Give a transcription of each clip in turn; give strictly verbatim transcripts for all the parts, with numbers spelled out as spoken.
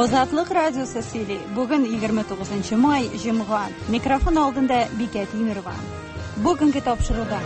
Азатлык радиосы сөйли. Бүген егерме тугызынчы май, җомга. Микрофон алдында Бикә Тимирова. Бүгенге тапшыруда.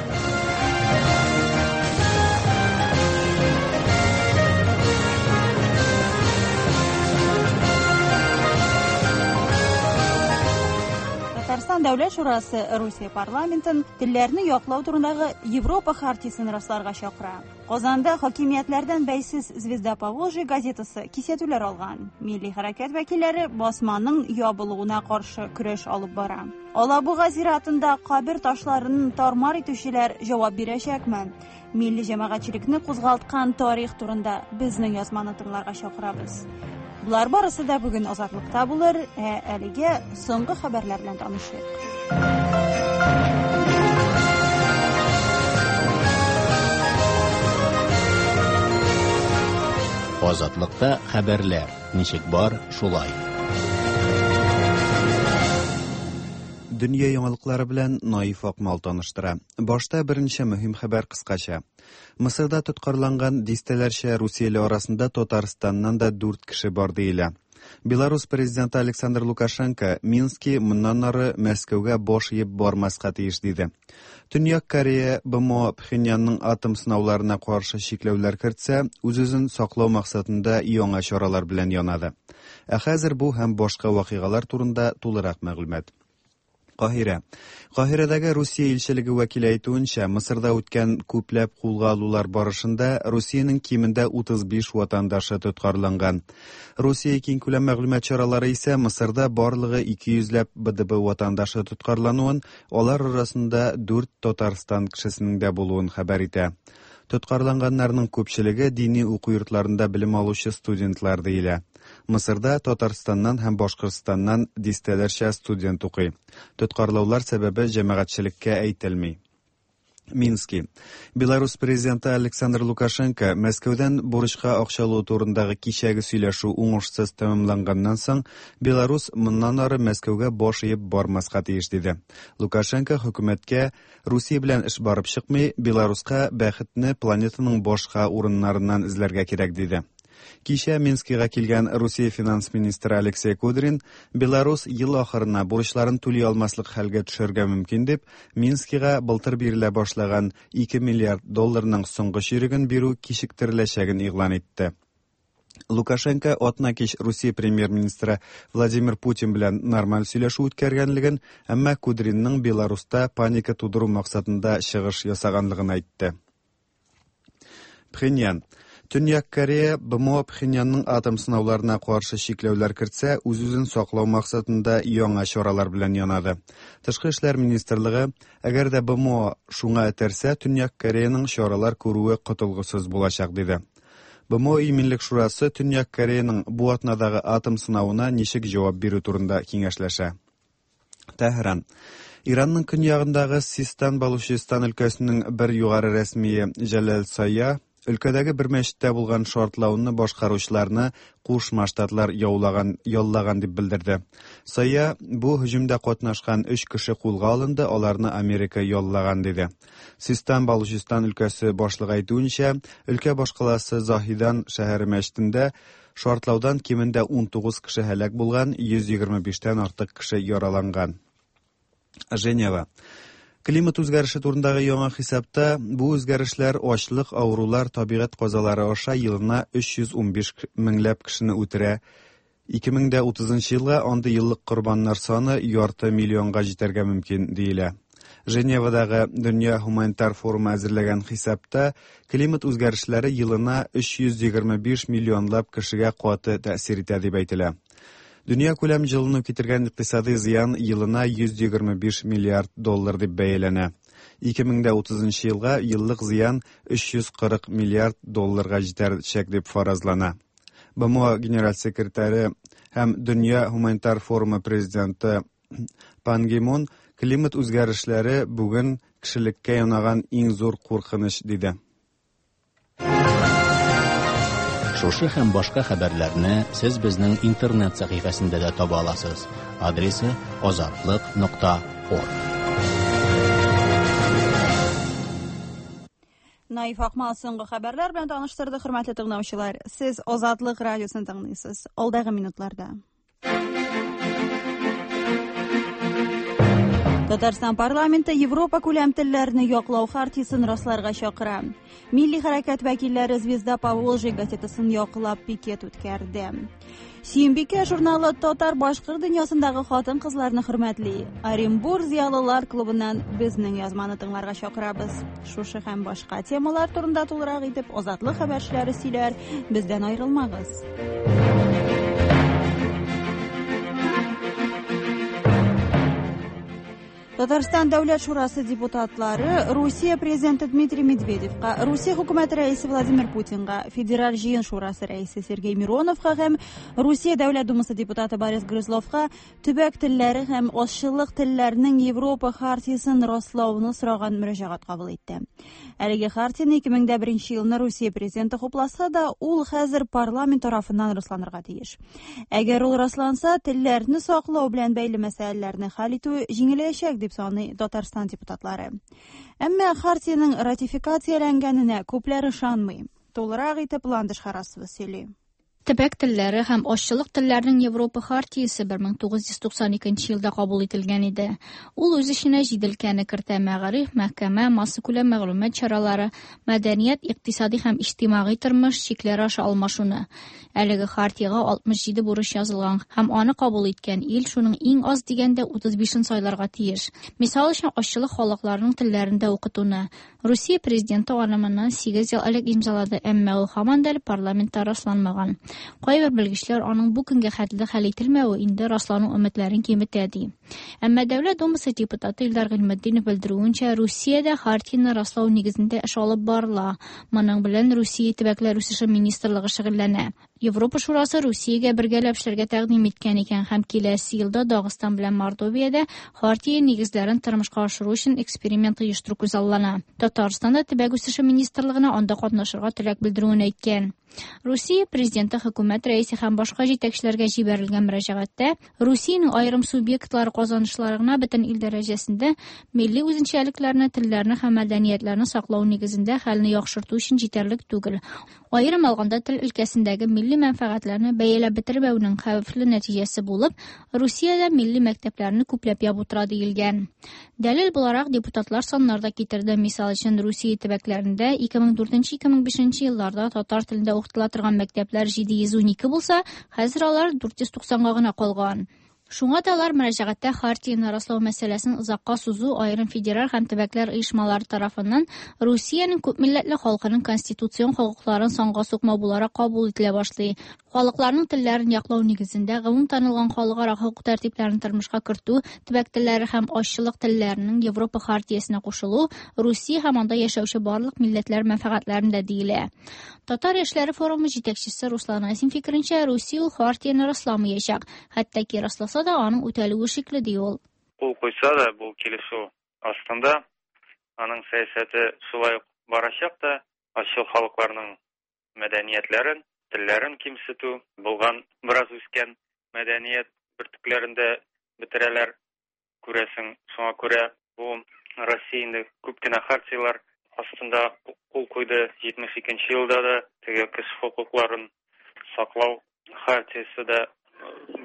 Татарстан Дәүләт Шурасы Русия парламентын телләрне яклау турындагы Европа хартиясен расларга чакыра. Казанда хакимиятләрдән бәйсез Звезда Поволжья газетасы кисәтүләр алган. Милли хәрәкәт вәкилләре басманың ябылуына каршы көрәш алып бара. Алабуга зиратында кабер ташларын тармар итүчеләр җавап бирәчәкме? Милли җәмәгатьчелекне кузгалткан тарих турында безнең язманы тыңларга чакырабыз. Булар барысы да бүген Азатлыкта булыр, ә әлегә соңгы хәбәрләр белән танышыйк. Азатлыкта хәбәрләр ничек бар, шулай. Дөнья яңалыклары белән Наиф Акмал таныштыра. Башта берничә мөһим хәбәр кыскача. Мысырда тоткарланган дистәләрчә русияле арасында Татарстаннан да дүрт кеше бар диелә. Беларус президенты Александр Лукашенко Мински моннан ары Мәскәүгә баш иеп бармаска тиеш диде. Төньяк Корея БМО Пхеньянның атом сынауларына каршы чикләүләр кертсә, үз-үзен саклау максатында яңа чаралар белән янады. Ә хәзер бу һәм башка вакыйгалар турында тулырак мәгълүмат. Каһирә. Каһирәдәге Русия илчелеге вәкиле әйтүенчә, Мысырда үткән күпләп кулга алулар барышында Русиянең кимендә утыз биш ватандашы тоткарланган. Русия киңкүләм мәгълүмат чаралары исә Мысырда барлыгы ике йөзләп Б Д Б ватандашы тоткарлануын, алар арасында дүрт Татарстан кешесенең дә булуын хәбәр итә. Тоткарланганнарның күпчелеге дини уку йортларында белем алучы студентлар диелә. Мысырда Татарстаннан һәм Башкортстаннан дистәләрчә студент укый. Тоткарлаулар сәбәбе җәмәгатьчелеккә әйтелми. Мински. Беларус президенты Александр Лукашенко Мәскәүдән бурычка акча алу турындагы кичәге сөйләшү уңышсыз тәмамланганнан соң, Беларус моннан ары Мәскәүгә баш иеп бармаска тиеш диде. Лукашенко хөкүмәткә Русия белән эш барып чыкмый, Беларуска бәхетне планетаның башка урыннарыннан эзләргә кирәк диде. Кичә Минскига килгән Русия финанс министры Алексей Кудрин Беларус ел ахырына бурычларын түли алмаслык хәлгә төшәргә мөмкин дип, Минскига былтыр бирелә башлаган ике миллиард долларның соңгы чиреген бирү кичектереләчәген игълан итте. Лукашенко атна кич Русия премьер-министры Владимир Путин белән нормаль сөйләшү үткәргәнлеген, әмма Кудринның Беларуста паника тудыру максатында чыгыш ясаганлыгын әйтте. Пхеньян. Төньяк Корея БМО Пхеньянның атом сынауларына каршы чикләүләр кертсә, үз-үзен саклау максатында яңа чаралар белән янады. Тышкы эшләр министрлыгы, әгәр дә БМО шуңа этәрсә, Төньяк Кореяның чаралар күрүе котылгысыз булачак, диде. БМО Иминлек шурасы Төньяк Кореяның бу атнадагы атом сынавына ничек җавап бирү турында киңәшләшә. Тәһран. Иранның көньягындагы Систан-Балучистан өлкәсенең бер югары рәсмие Җәләл Сая өлкәдәге бер мәчеттә булган шартлауны башкаручыларны Кушма Штатлар яулаган, яллаган дип белдерде. Сая бу һөҗүмдә катнашкан өч кеше кулга алынды, аларны Америка яллаган диде. Систан-Балучистан өлкәсе башлыгы әйтүенчә, өлкә башкаласы Заһидан шәһәре мәчетендә шартлаудан кимендә ун тугыз кеше һәлак булган, йөз егерме биштән артык кеше яраланган. Женева. Климат үзгәреше турындагы яңа хисапта бу үзгәрешләр ачлык, авырулар, табигать казалары аша елына өч йөз ун биш меңләп кешене үтерә. Ике мең дә утызынчы елга андый еллык корбаннар саны ярты миллионга җитәргә мөмкин диелә. Женевадагы Дөнья гуманитар форумы әзерләгән хисапта климат үзгәрешләре елына өч йөз егерме биш миллионлап кешегә каты тәэсир итә дип әйтелә. Дөнья күләм җылыну китергән икътисади зыян елына йөз егерме биш миллиард доллар дип бәяләнә. Ике мең дә утызынчы елга еллык зыян өч йөз кырык миллиард долларга җитәчәк дип фаразлана. БМО генераль секретаре һәм Дөнья гуманитар форумы президенты Пан Ги Мун климат үзгәрешләре бүген кешелеккә янаган иң зур куркыныч диде. Шушы һәм башка хәбәрләрне сез безнең интернет сәхифәсендә дә таба аласыз. Адресы азатлык нокта орг. Наиф Акмал соңгы хәбәрләр белән таныштырды, хөрмәтле тыңлаучылар. Сез Азатлык радиосын тыңлыйсыз. Алдагы минутларда. Татарстан парламенты Европа күләм телләрне яклау хартиясен расларга чакыра. Милли хәрәкәт вәкилләре «Звезда Поволжья» газетасын яклап пикет үткәрде. Сөембикә журналы татар башкорт дөньясындагы хатын-кызларны хөрмәтли. Оренбур зыялылар клубыннан безнең язманы тыңларга чакырабыз. Шушы һәм башка темалар турында тулырак итеп Азатлык хәбәрчеләре сөйләр. Бездән аерылмагыз. Татарстан Дәүләт Шурасы депутатлары Русия президенты Дмитрий Медведевка, Русия хөкүмәте рәисе Владимир Путинга, Федераль җыен шурасы рәисе Сергей Мироновка һәм Русия Дәүләт Думасы депутаты Борис Грызловка төбәк телләре һәм азчылык телләренең Европа хартиясен раслауны сораган мөрәҗәгать кабул итте. Әлеге хартияне ике мең дә беренче елны Русия президенты хупласа да, ул хәзер парламент тарафыннан расланырга тиеш. Әгәр ул расланса, телләрне саклау белән бәйле мәсьәләләрне хәл итү җиңеләячәк дип саный Татарстан депутатлары. Әмма хартияның ратификацияләнгәненә күпләр ышанмый. Тулырак итеп Ландыш Харасова сөйли. Төбәк телләре һәм азчылык телләренең Европа хартиясе бер мең тугыз йөз туксан икенче елда кабул ителгән иде. Ул үз эченә җиде өлкәне кертә: мәгариф, мәхкәмә, массакүләм мәгълүмат чаралары, мәдәният, икътисади һәм иҗтимагый тормыш, чикләр аша алмашуны. Әлеге хартиягә алтмыш җиде бурыч язылган һәм аны кабул иткән ил шуның иң аз дигәндә утыз бишен сайларга тиеш. Мисал өчен, азчылык халыкларының телләрендә укытуны. Русия президенты аны моннан сигез ел элек имзалады, әмма ул һаман да әле парламентта расланмаган. Кайбер белгечләр аның бу көнгә хәтле хәл ителмәве инде раслану өметләрен киметә ди. Әмма Дәүләт Думасы депутаты Илдар Гыйльметдинов белдерүенчә, Русиядә хартияне раслау нигезендә эш алып барыла. Моның белән Русия төбәкләр үсеше министрлыгы шөгыльләнә. Европа Шурасы Русиягә бергәләп эшләргә тәкъдим иткән икән һәм киләсе елда Дагыстан белән Мордовиядә хартия нигезләрен тормышка ашыру өчен эксперимент оештыру күзаллана. Татарстанда төбәк үсеше министрлыгына анда катнашырга теләк белдерүен әйткән. Русия президенты, хөкүмәт рәисе һәм башка җитәкчеләргә җибәрелгән мөрәҗәгатьтә Русиянең аерым субъектлары казанышларына бөтен ил дәрәҗәсендә милли үзенчәлекләрне, телләрне һәм мәдәниятләрне саклау нигезендә хәлне яхшырту өчен җитәрлек түгел. Аерым алганда тел өлкәсендәге милли мәнфәгатьләрне бәяләп бетермәүнең хәвефле нәтиҗәсе булып, Русиядә милли мәктәпләрне күпләп ябу тора диелгән. Дәлил буларак депутатлар саннар да китерде. Мисал өчен, Русия төбәкләрендә ике мең дүртенче ике мең бишенче елларда татар телендә укытыла торган мәктәпләр җиде йөз унике булса, хәзер алар дүрт йөз туксанга гына калган. Шуңа да алар мөрәҗәгатьтә хартияне раслау мәсьәләсен озакка сузу аерым федераль һәм төбәкләр оешмалары тарафыннан Русиянең күпмилләтле халкының конституцион хокукларын санга сукмау буларак кабул ителә башлый. Халыкларның телләрен яклау нигезендә гомум танылган халыкара хокук тәртипләрен тормышка кертү, төбәк телләре һәм азчылык телләренең Европа хартиясенә кушылу Русия һәм анда яшәүче барлык милләтләр мәнфәгатьләрендә диелә. Татар яшьләре форумы җитәкчесе Руслан Айсин фикеренчә, Русия ул хартияне расламаячак, хәтта ки расласа да аның үтәлүе шикле ди ул. Кул куйса да бу килешү астында аның сәясәте шулай ук барачак та, азчылык халыкларның мәдәниятләрен, телләрен кимсетү, булган бераз үскән мәдәният бөртекләрендә бетерәләр, күрәсең. Шуңа күрә бу Россия инде күп кенә хартиялар астында кул куйды. Җитмеш икенче елда да теге кеше хокукларын саклау хартиясе дә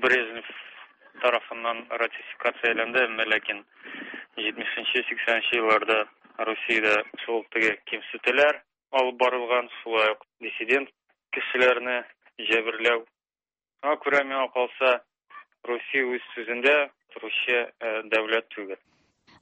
Брежнев тарафыннан ратификацияләнде, әмма ләкин җитмешенче, сиксәненче елларда Русиядә шул теге кимсетүләр алып барылган, шулай ук диссидент кешеләрне җәберләү. Шуңа күрә миңа калса, Русия үз сүзендә торучы дәүләт түгел.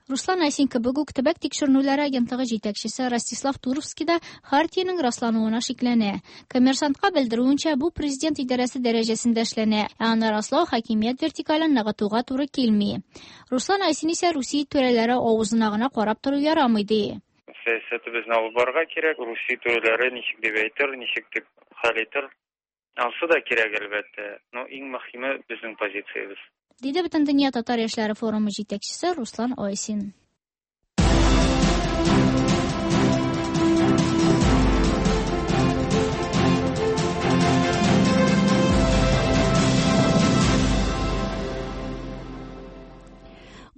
Руслан Айсин кебек үк төбәк тикшеренүләре агентлыгы җитәкчесе Ростислав Туровский да хартиянең раслануына шикләнә. Коммерсантка белдерүенчә, бу президент идарәсе дәрәҗәсендә эшләнә, ә аны раслау хакимият вертикален ныгытуга туры килми. Руслан Айсин исә Русия түрәләре авызына гына карап тору ярамый ди. Сәясәтебезне алып барырга кирәк, Русия түрәләре ничек дип әйтер, ничек дип хәл итер, ансы да кирәк әлбәттә. Но иң мөһиме безнең позициябез. Диде Бөтендөнья татар яшьләре форумы җитәкчесе Руслан Айсин.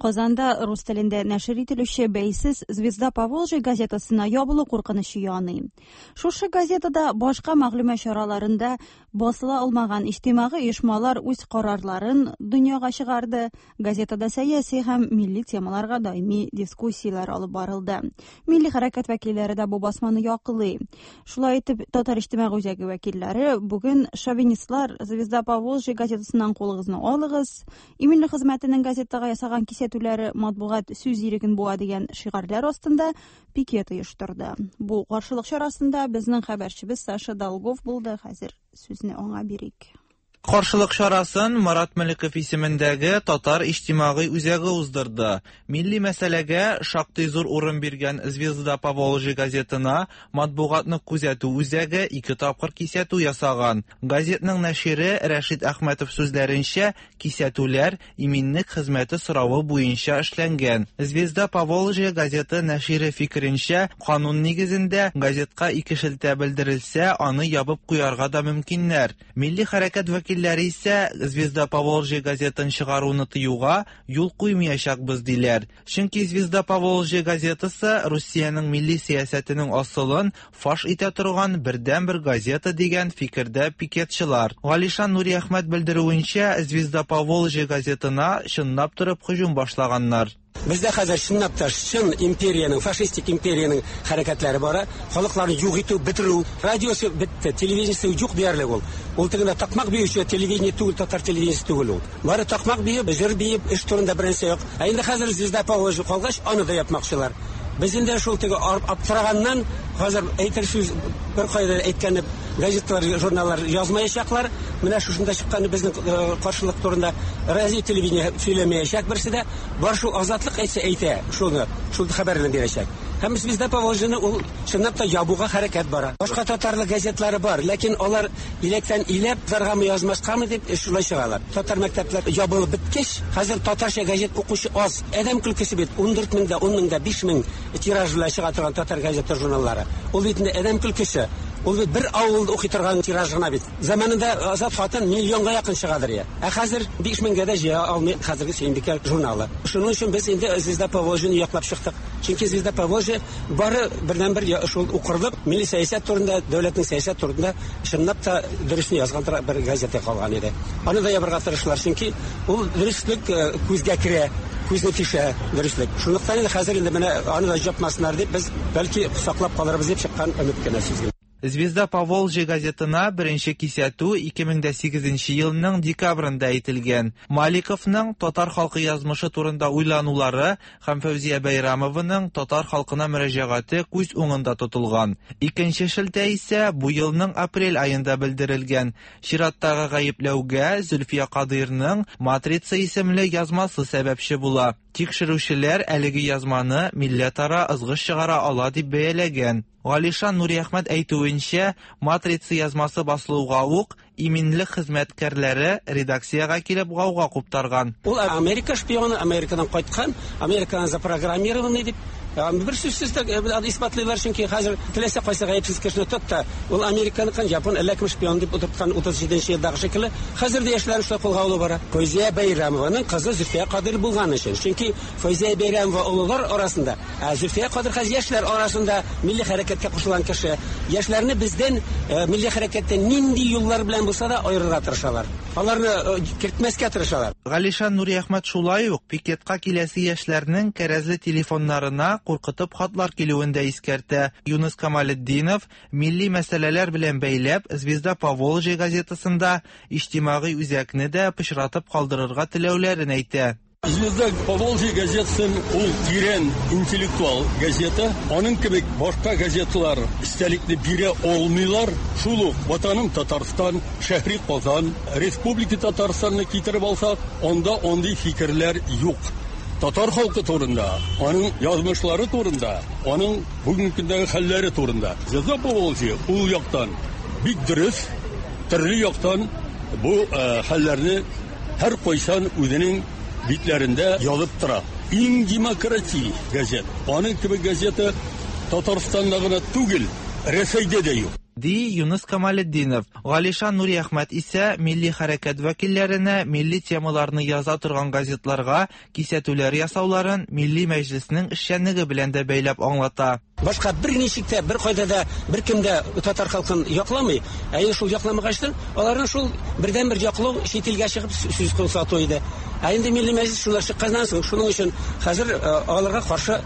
Казанда рус телендә нәшер ителүче бәйсез «Звезда Поволжья» газетасына ябылу куркынычы яный. Шушы газетада башка мәгълүмат чараларында басыла алмаган иҗтимагый оешмалар үз карарларын дөньяга чыгарды. Газетада сәяси һәм милли темаларга даими дискуссияләр алып барылды. Милли хәрәкәт вәкилләре дә бу басманы яклый. Шулай итеп, Татар иҗтимагый үзәге вәкилләре бүген шовинистлар «Звезда Поволжья» газетасыннан кулыгызны алыгыз, иминлек хезмәтенең газетага ясаган кисәтүләре матбугат сүз иреген буа дигән шигарьләр астында пикет оештырды. Бу каршылык чарасында безнең хәбәрчебез Саша Долгов булды. Хәзер сүзне аңа бирик. Каршылык чарасын Марат Маликов исемендәге Татар иҗтимагый үзәге уздырды. Милли мәсьәләгә шактый зур урын биргән «Звезда Поволжья» газетына матбугатны күзәтү үзәге ике тапкыр кисәтү ясаган. Газетның нәшире Рәшит Әхмәтов сүзләренчә, кисәтүләр иминлек хезмәте соравы буенча эшләнгән. «Звезда Поволжья» газеты нәшире фикеренчә, канун нигезендә газетка ике шелтә белдерелсә, аны ябып куярга да мөмкиннәр. Милли хәрәкәт вәкилләре исә «Звезда Поволжья» газетын чыгаруны тыюга юл куймаячакбыз диләр. Чөнки «Звезда Поволжья» газетасы Русиянең милли сәясәтенең асылын фаш итә торган бердәнбер газета дигән фикердә пикетчылар. Галишан Нуриәхмәт белдерүенчә, «Звезда Поволжья» газетына чынлап торып һөҗүм башлаганнар. Бездә хәзер чынлап та чын империянең, фашистик империянең хәрәкәтләре бара. Халыкларны юк итү, бетерү. Радиосы бетте, телевидениесе юк диярлек ул. Ул тегендә такмак биюче телевидение түгел, татар телевидениесе түгел ул. Бары такмак биеп, җыр биеп, эш турында беренче юк. Ә инде хәзер «Звезда Поволжья» калгач, аны да япмакчылар. Без инде шул теге аптыраганнан хәзер әйтер сүз бер кайда әйткәне газеталар, журналлар язмаячаклар. Менә шушында чыккан безнең каршылык турында радио, телевидение сөйләмәячәк берсе дә. Бар шул азатлык әйтсә әйтә, шуны, шул хәбәрне бирәчәк. Һәм «Звезда Поволжьяны» ул чынлап та ябуга хәрәкәт бара. Башка татарлык газетлары бар, ләкин алар иләктән иләп заргамы язмаскамы дип шулай чыгалар. Татар мәктәпләр ябылып беткәч, хәзер татарча газет укучы аз. Адәм көлкесе бит ун дүрт меңдә, ун меңдә, биш мең тираж белән чыга торган татар газета журналлары. Ул бит инде адәм көлкесе. Ул бит бер авылда укый торган тираж гына бит. Заманында Азат хатын миллионга якын чыгадыр я. Ә хәзер биш меңгә дә җыя алмый хәзерге Сөембикә журналы. Шуның өчен без инде «Звезда Поволжьяны» яклап чыктык. Чөнки «Звезда Поволжья» бары бердән-бер шул укырлык милли сәясәт турында, дәүләтнең сәясәт турында чынлап та дөресен язган бер газета калган иде. Аны да ябырга тырышлар, чөнки ул дөреслек күзгә керә, күзне тишә дөреслек. Шунлыктан инде хәзер инде менә аны да япмасыннар дип без бәлки саклап калырбыз дип чыккан өмет кенә сүзгә. «Звезда Поволжья» газетына беренче кисәтү ике мең дә сигезенче елның декабрендә әйтелгән. Маликовның татар халкы язмышы турында уйланулары һәм Фәүзия Бәйрамованың татар халкына мөрәҗәгате күз уңында тотылган. Икенче шелтә исә бу елның апрель аенда белдерелгән. Чираттагы гаепләүгә Зөлфия Кадыйрның «Матрица» исемле язмасы сәбәпче була. Тикшерүчеләр әлеге язманы милләтара ызгыш чыгара ала дип бәяләгән. Галишан Нуриәхмәт әйтүенчә, «Матрица» язмасы басылуга ук иминлек хезмәткәрләре редакциягә килеп гауга куптарган. Ул Америка шпионы, Америкадан кайткан, Америкадан запрограммированный дип бер сүзсез дә исбатлыйлар, чөнки хәзер теләсә кайсы гаепсез кешене тот та, ул Американыкын, Япон әллә кем шпион дип утырткан утыз җиденче елдагы шикелле, хәзер дә яшьләр шулай кулга алу бара. Фәүзия Бәйрәмованың кызы Зөлфия Кадыр булган өчен, чөнки Фәүзия Бәйрәмова олылар арасында, ә Зөлфия Кадыр хәзер яшьләр арасында милли хәрәкәткә кушылган кеше. Яшьләрне бездән милли хәрәкәттән нинди юллар белән булса да аерырга тырышалар. Аларны кертмәскә тырышалар. Галишан Нуриәхмәт шулай ук пикетка киләсе яшьләрнең кәрәзле телефоннарына куркытып хатлар килүен дә искәртә. Юныс Камалетдинов милли мәсьәләләр белән бәйләп «Звезда Поволжья» газетасында иҗтимагый үзәкне дә пычратып калдырырга теләүләрен әйтә. «Звезда Поволжья» газетасы ул тирән интеллектуал газета. Аның кебек башка газеталар истәлекне бирә алмыйлар. Шул ук Ватаным Татарстан, Шәһри Казан, Республика Татарстанны китереп алсак, анда андый фикерләр юк. Татар халкы турында, аның язмышлары турында, аның бүгенге көндәге хәлләре турында. «Звезда Поволжья» ул яктан бик дөрес, төрле яктан бу хәлләрне һәр кайчан үзенең битләрендә язып тора. Иң демократик газет. Аның кебек газета Татарстанда гына түгел, Рәсәйдә дә юк. ди Юныс Камалетдинов. Галишан Нуриәхмәт исә милли хәрәкәт вәкилләренә милли темаларны яза торган газетларга кисәтүләр ясауларын Милли Мәҗлеснең эшчәнлеге белән дә бәйләп аңлата. Башка бер ничек тә, бер кайда да, бер кем дә татар халкын якламый. Ә инде шул якламагачтын, аларның шул бердән-бер яклау чит илгә чыгып сүз сату иде. Ә инде Милли Мәҗлес шулар чыкканнан соң, шуның өчен хәзер аларга каршы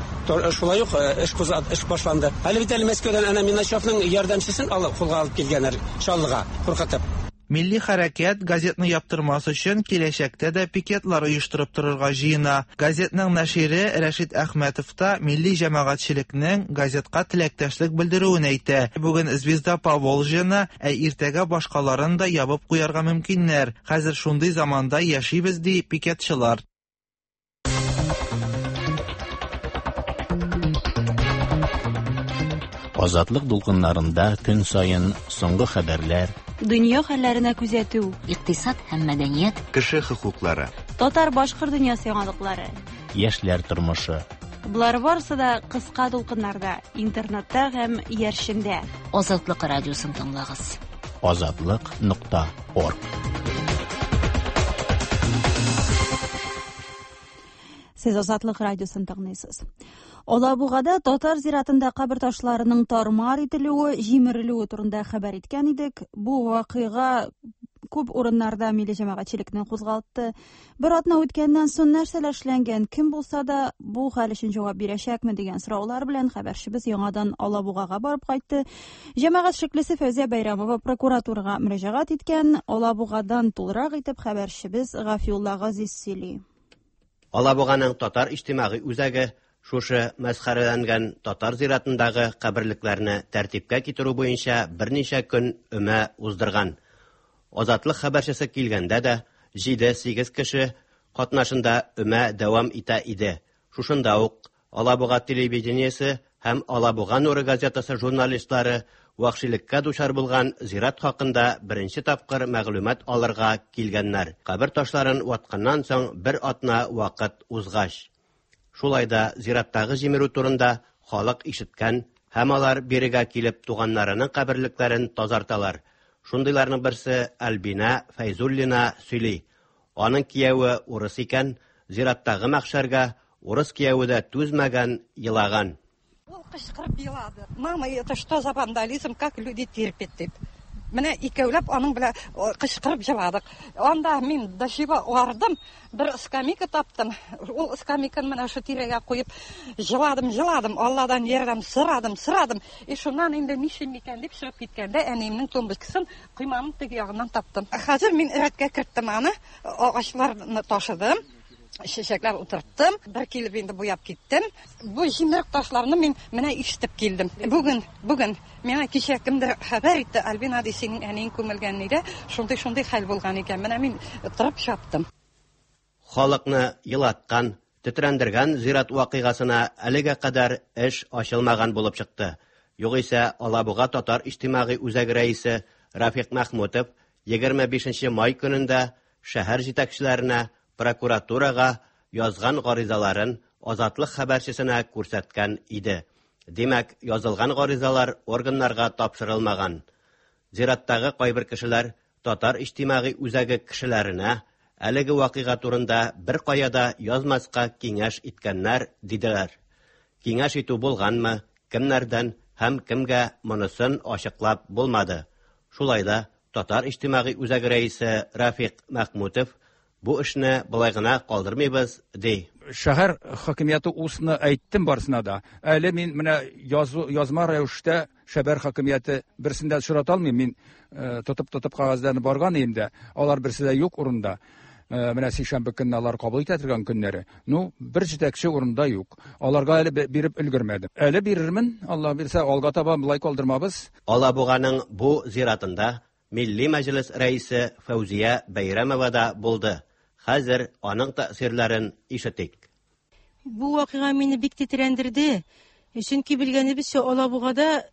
шулай ук эш эш башланды. Әле бит әле Мәскәүдән әнә Миначевның ярдәмчесен алып кулга алып килгәннәр Чаллыга, куркытып. Милли хәрәкәт газетны яптырмас өчен киләчәктә дә пикетлар оештырып торырга җыена. Газетның нәшире Рәшит Әхмәтов та милли җәмәгатьчелекнең газетка теләктәшлек белдерүен әйтә. Бүген Звезда Поволжьены, ә иртәгә башкаларын да ябып куярга мөмкиннәр. Хәзер шундый заманда яшибез, ди пикетчылар. Азатлык дулкыннарында көн саен соңгы хәбәрләр, дөнья хәлләренә күзәтү, икътисад һәм мәдәният, кеше хокуклары, татар-башкорт дөньясы яңалыклары, яшьләр тормышы. Болар барысы да кыска дулкыннарда, интернетта һәм иярчендә. Азатлык радиосын тыңлагыз. Азатлык нокта орг. Сез Азатлык радиосын тыңлыйсыз. Алабугада татар зиратында кабер ташларының тармар ителүе, җимерелүе турында хәбәр иткән идек. Бу вакыйга күп урыннарда милли җәмәгатьчелекне кузгалтты. Бер атна үткәннән соң нәрсәләр эшләнгән, кем булса да бу хәл өчен җавап бирәчәкме дигән сораулар белән хәбәрчебез яңадан Алабугага барып кайтты. Җәмәгать эшлеклесе Фәүзия Бәйрәмова прокуратурага мөрәҗәгать иткән. Алабугадан тулырак итеп хәбәрчебез Гафиулла Газиз сөйли. Алабуганың татар иҗтимагый үзәге шушы мәсхәрәләнгән татар зиратындагы каберлекләрне тәртипкә китерү буенча берничә көн өмә уздырган. Азатлык хәбәрчесе килгәндә дә җиде-сигез кеше катнашында өмә дәвам итә иде. Шушында ук Алабуга телевидениесе һәм Алабуга нуры газетасы журналистлары вәхшилеккә дучар булган зират хакында беренче тапкыр мәгълүмат алырга килгәннәр. Кабер ташларын ватканнан соң бер атна вакыт узгач. Шулай да зираттагы җимерү турында халык ишеткән һәм алар бирегә килеп туганнарының каберлекләрен тазарталар. Шундыйларның берсе Альбина Фәйзуллина сөйли. Аның кияве урыс икән, зираттагы мәхшәргә урыс кияве дә түзмәгән, елаган. Ул кычкырып елады. Мама, это что за вандализм, как люди терпят, дип. Менә икәүләп аның белән кычкырып җыладык. Анда мин дашиба бардым, бер скамейка таптым. Ул скамейканы менә шу тирәгә куеп җыладым, җыладым. Алладан ярдәм сорадым, сорадым. И шуннан инде нишлим икән дип чыгып киткәндә әниемнең тумбочкасын койманың теге ягыннан таптым. Хәзер мин рәткә керттем аны, агачларны ташыдым. Чәчәкләр утырттым, бер килеп инде буяп киттем. Бу җимерек ташларны мин менә ишетеп килдем. Бүген, бүген миңа кичә кемдер хәбәр итте, Альбина ди, синең әниең күмелгән иде, шундый-шундый хәл булган икән. Менә мин торып чаптым. Халыкны елаткан, тетрәндергән зират вакыйгасына әлегә кадәр эш ачылмаган булып чыкты. Югыйсә Алабуга татар иҗтимагый үзәге рәисе Рафик Махмутов егерме бишенче май көнендә шәһәр җитәкчеләренә, прокуратурага язган гаризаларын Азатлык хәбәрчесенә күрсәткән иде. Димәк, язылган гаризалар органнарга тапшырылмаган. Зираттагы кайбер кешеләр татар иҗтимагый үзәге кешеләренә әлеге вакыйга турында бер кая да язмаска киңәш иткәннәр, диделәр. Киңәш итү булганмы, кемнәрдән һәм кемгә, монысын ачыклап булмады. Шулай да татар иҗтимагый үзәге рәисе Рафик Махмутов бу эшне болай гына калдырмыйбыз, ди. Шәһәр хакимияте усны әйттем барысына да. Әле мин менә язу, язма рәвештә шәһәр хакимияте берсен дә очрата алмыйм. Мин тотып-тотып кәгазьләрне барган идем дә, алар берсе дә юк урында. Менә сишәмбе көнне алар кабул итә торган көннәре. Ну, бер җитәкче урында юк. Аларга әле биреп өлгермәдем. Әле бирермен, Алла бирсә, алга таба болай калдырмабыз. Алабуганың бу зиратында Милли Мәҗлес рәисе Фәүзия Бәйрәмова да булды. Хәзер аның тәэсирләрен ишетик. Бу вакыйга мине бик тетрәндерде. Чөнки белгәнебезчә, Алабугада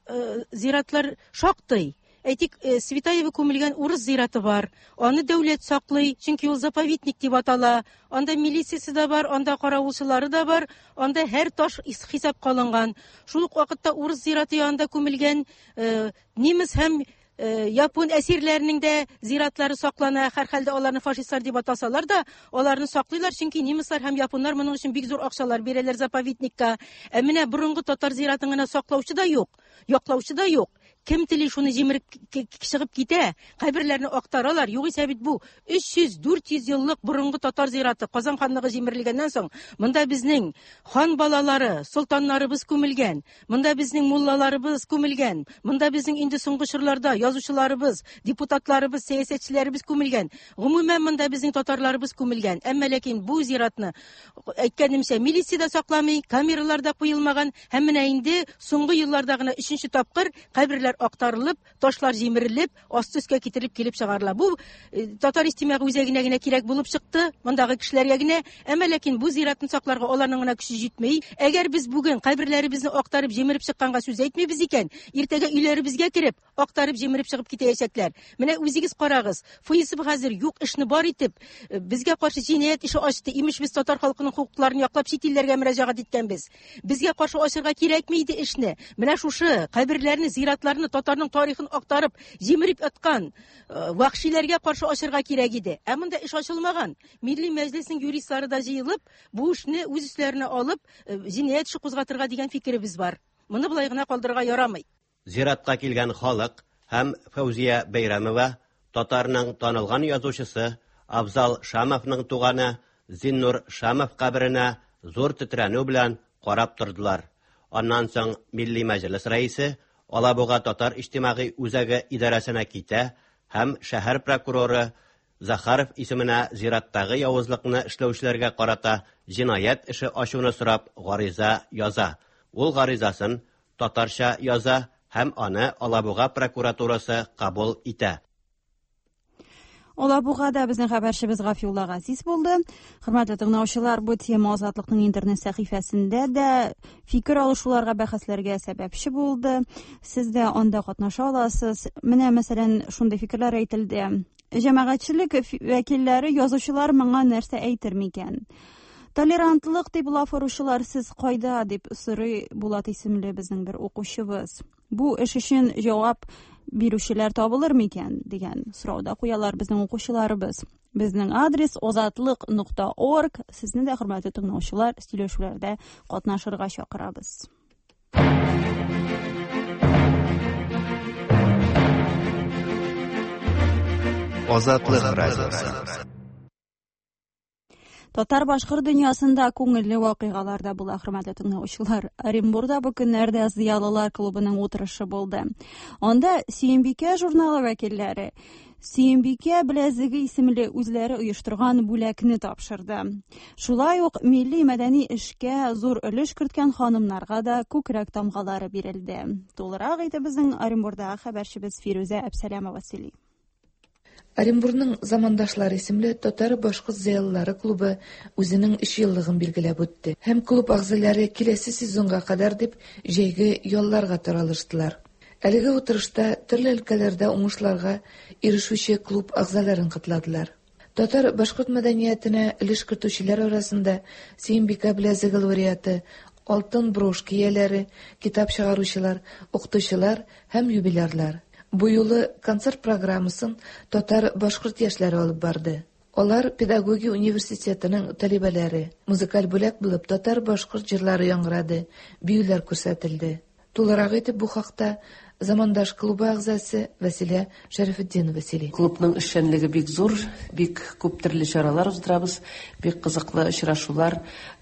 зиратлар шактый. Әйтик, Светаева күмелгән урыс зираты бар. Аны дәүләт саклый, чөнки ул заповедник дип атала. Анда милициясе дә бар, анда каравылчылары да бар, анда һәр таш хисапка алынган. Шул ук вакытта урыс зираты янында күмелгән немец һәм япон әсирләренең дә зиратлары саклана. Һәрхәлдә аларны фашистлар дип атасалар да, аларны саклыйлар, чөнки немецлар һәм японнар моның өчен бик зур акчалар бирәләр заповедникка. Ә менә борынгы татар зиратын гына саклаучы да юк, яклаучы да юк. Кем тели шуны җимереп чыгып китә, каберләрне актаралар. Югыйсә бит бу өч йөз дүрт йөз еллык борынгы татар зираты Казан ханлыгы җимерелгәннән соң, монда безнең хан балалары, солтаннарыбыз күмелгән, монда безнең муллаларыбыз күмелгән, монда безнең инде соңгы чорларда язучыларыбыз, депутатларыбыз, сәясәтчеләребез күмелгән. Гомумән монда безнең татарларыбыз күмелгән. Әмма ләкин бу зиратны, әйткәнемчә, милиция дә сакламый, камералар да куелмаган һәм менә инде соңгы елларда гына өченче тапкыр каберләр актарылып, ташлар җимерелеп, асты өскә китерелеп килеп чыгарыла. Бу татар иҗтимагый үзәгенә генә кирәк булып чыкты, мондагы кешеләргә генә. Әмма ләкин бу зиратны сакларга аларның гына көче җитми. Әгәр без бүген каберләребезне актарып җимереп чыкканга сүз әйтмибез икән, иртәгә өйләребезгә кереп, актарып җимереп чыгып китәчәкләр. Менә үзегез карагыз, ФСБ хәзер юк эшне бар итеп, безгә каршы җинаять эше ачты. Имеш без татар халкының хокукларын яклап чит илләргә мөрәҗәгать иткәнбез. Безгә каршы ачырга кирәкми иде эшне. Менә шушы каберләрне, зиратларны, татарның тарихын актарып, җимереп аткан вахшиләргә каршы ачырга кирәк иде. Ә монда эш ачылмаган. Милли Мәҗлеснең юристлары да җыелып, бу эшне үз өсләренә алып, җинаять эше кузгатырга дигән фикеребез бар. Моны болай гына калдырырга ярамый. Зиратка килгән халык һәм Фәүзия Бәйрәмова, татарның танылган язучысы Абзал Шамовның туганы Зиннур Шамов каберенә зур тетрәнү белән карап тордылар. Аннан соң Милли Мәҗлес рәисе Алабуга татар иҗтимагый үзәге идарәсенә китә һәм шәһәр прокуроры Захаров исеменә зираттагы явызлыкны эшләүчеләргә карата җинаять эше ачуны сорап гариза яза. Ул гаризасын татарча яза һәм аны Алабуга прокуратурасы кабул итә. Алабугада безнең хәбәрчебез Гафиулла Газиз булды. Хөрмәтле тыңлаучылар, бу тема Азатлыкның интернет сәхифәсендә дә фикер алышуларга, бәхәсләргә сәбәпче булды. Сез дә анда катнаша аласыз. Менә, мәсәлән, шундый фикерләр әйтелде. Җәмәгатьчелек вәкилләре, язучылар моңа нәрсә әйтер микән? Толерантлык дип лаф оручылар сез кайда дип сорый Булат исемле безнең бер укучыбыз. Бу эш өчен җавап бирүчеләр табылыр микән дигән сорау да куялар безнең укучыларыбыз. Безнең адрес озатлык нокта орг. Сезне дә, хөрмәтле тыңлаучылар, сөйләшүләрдә катнашырга чакырабыз. Азатлык радиосы. Татар-башкорт дөньясында күңелле вакыйгалар да була, хөрмәтле тыңлаучылар. Оренбурда бу көннәрдә Зыялылар клубының утырышы булды. Анда Сөембикә журналы вәкилләре Сөембикә беләзеге исемле үзләре оештырган бүләкне тапшырды. Шулай ук милли мәдәни эшкә зур өлеш керткән ханымнарга да күкрәк тамгалары бирелде. Тулырак итеп безнең Оренбурдагы хәбәрчебез Фирүзә Әбсәләмова сөйли. Оренбурның Замандашлар исемле татар-башкорт зыялылары клубы үзенең өч еллыгын билгеләп үтте. Һәм клуб әгъзалары киләсе сезонга кадәр дип җәйге ялларга таралыштылар. Әлеге утырышта төрле өлкәләрдә уңышларга ирешүче клуб әгъзаларын котладылар. Татар-башкорт мәдәниятенә өлеш кертүчеләр арасында Сөембикә беләзеге лауреаты, алтын брошка ияләре, китап чыгаручылар, укытучылар һәм юбилярлар. Бу юлы концерт программасын татар-башкорт яшьләре алып барды. Алар педагогия университетының талибәләре. Музыкаль бүләк булып татар-башкорт җырлары яңгырады, биюләр күрсәтелде. Тулырак итеп бу хакта Замандаш клубы әгъзасы Вәсилә Шәрәфетдинова сөйли. Клубның эшчәнлеге бик зур, бик күп төрле чаралар уздырабыз, бик кызыклы очрашулар,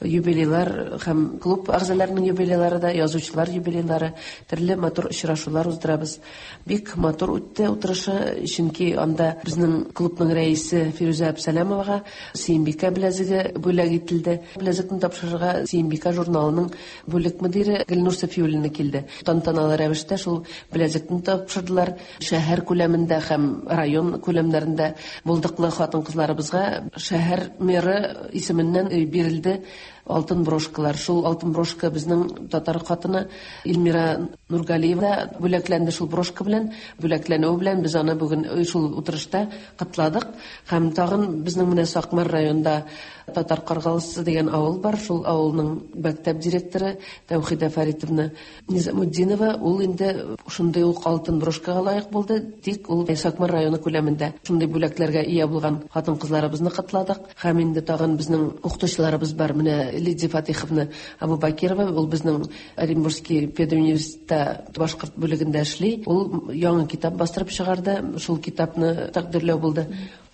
юбилейлар һәм клуб әгъзаларының юбилейлары да, язучылар юбилейлары, төрле матур очрашулар уздырабыз. Бик матур үтте утырышы, чөнки анда безнең клубның рәисе Фирүзә Әбсәләмовага Сөембикә беләзеге бүләк ителде. Беләзекне тапшырырга Сөембикә журналының бүлек мөдире Гөлнур Сафиуллина килде. Тантаналы рәвештә шул беләзекне тапшырдылар. Шәһәр күләмендә һәм район күләмнәрендә булдыклы хатын-кызларыбызга шәһәр мэры исеменнән бирелде алтын брошкалар. Шул алтын брошка безнең татар хатыны Эльмира Нургалиева бүләкләнде шул брошка белән. Бүләкләнүе белән без аны бүген шул утырышта котладык. Һәм тагын безнең менә Сакмар районында Татар Каргалысы дигән авыл бар. Шул авылның мәктәп директоры Тәүхидә Фаритовна Низамутдинова, ул инде шундый ук алтын брошкага лаек булды. Тик ул Сакмар районы күләмендә шундый бүләкләргә ия булган хатын-кызларыбызны котладык. Һәм инде тагын безнең укытучыларыбыз бар. Менә Лидия Фатиховна Абубакирова, ул безнең Оренбургский педуниверситетта башкорт бүлегендә эшли. Ул яңа китап бастырып чыгарды. Шул китапны тәкъдирләү булды.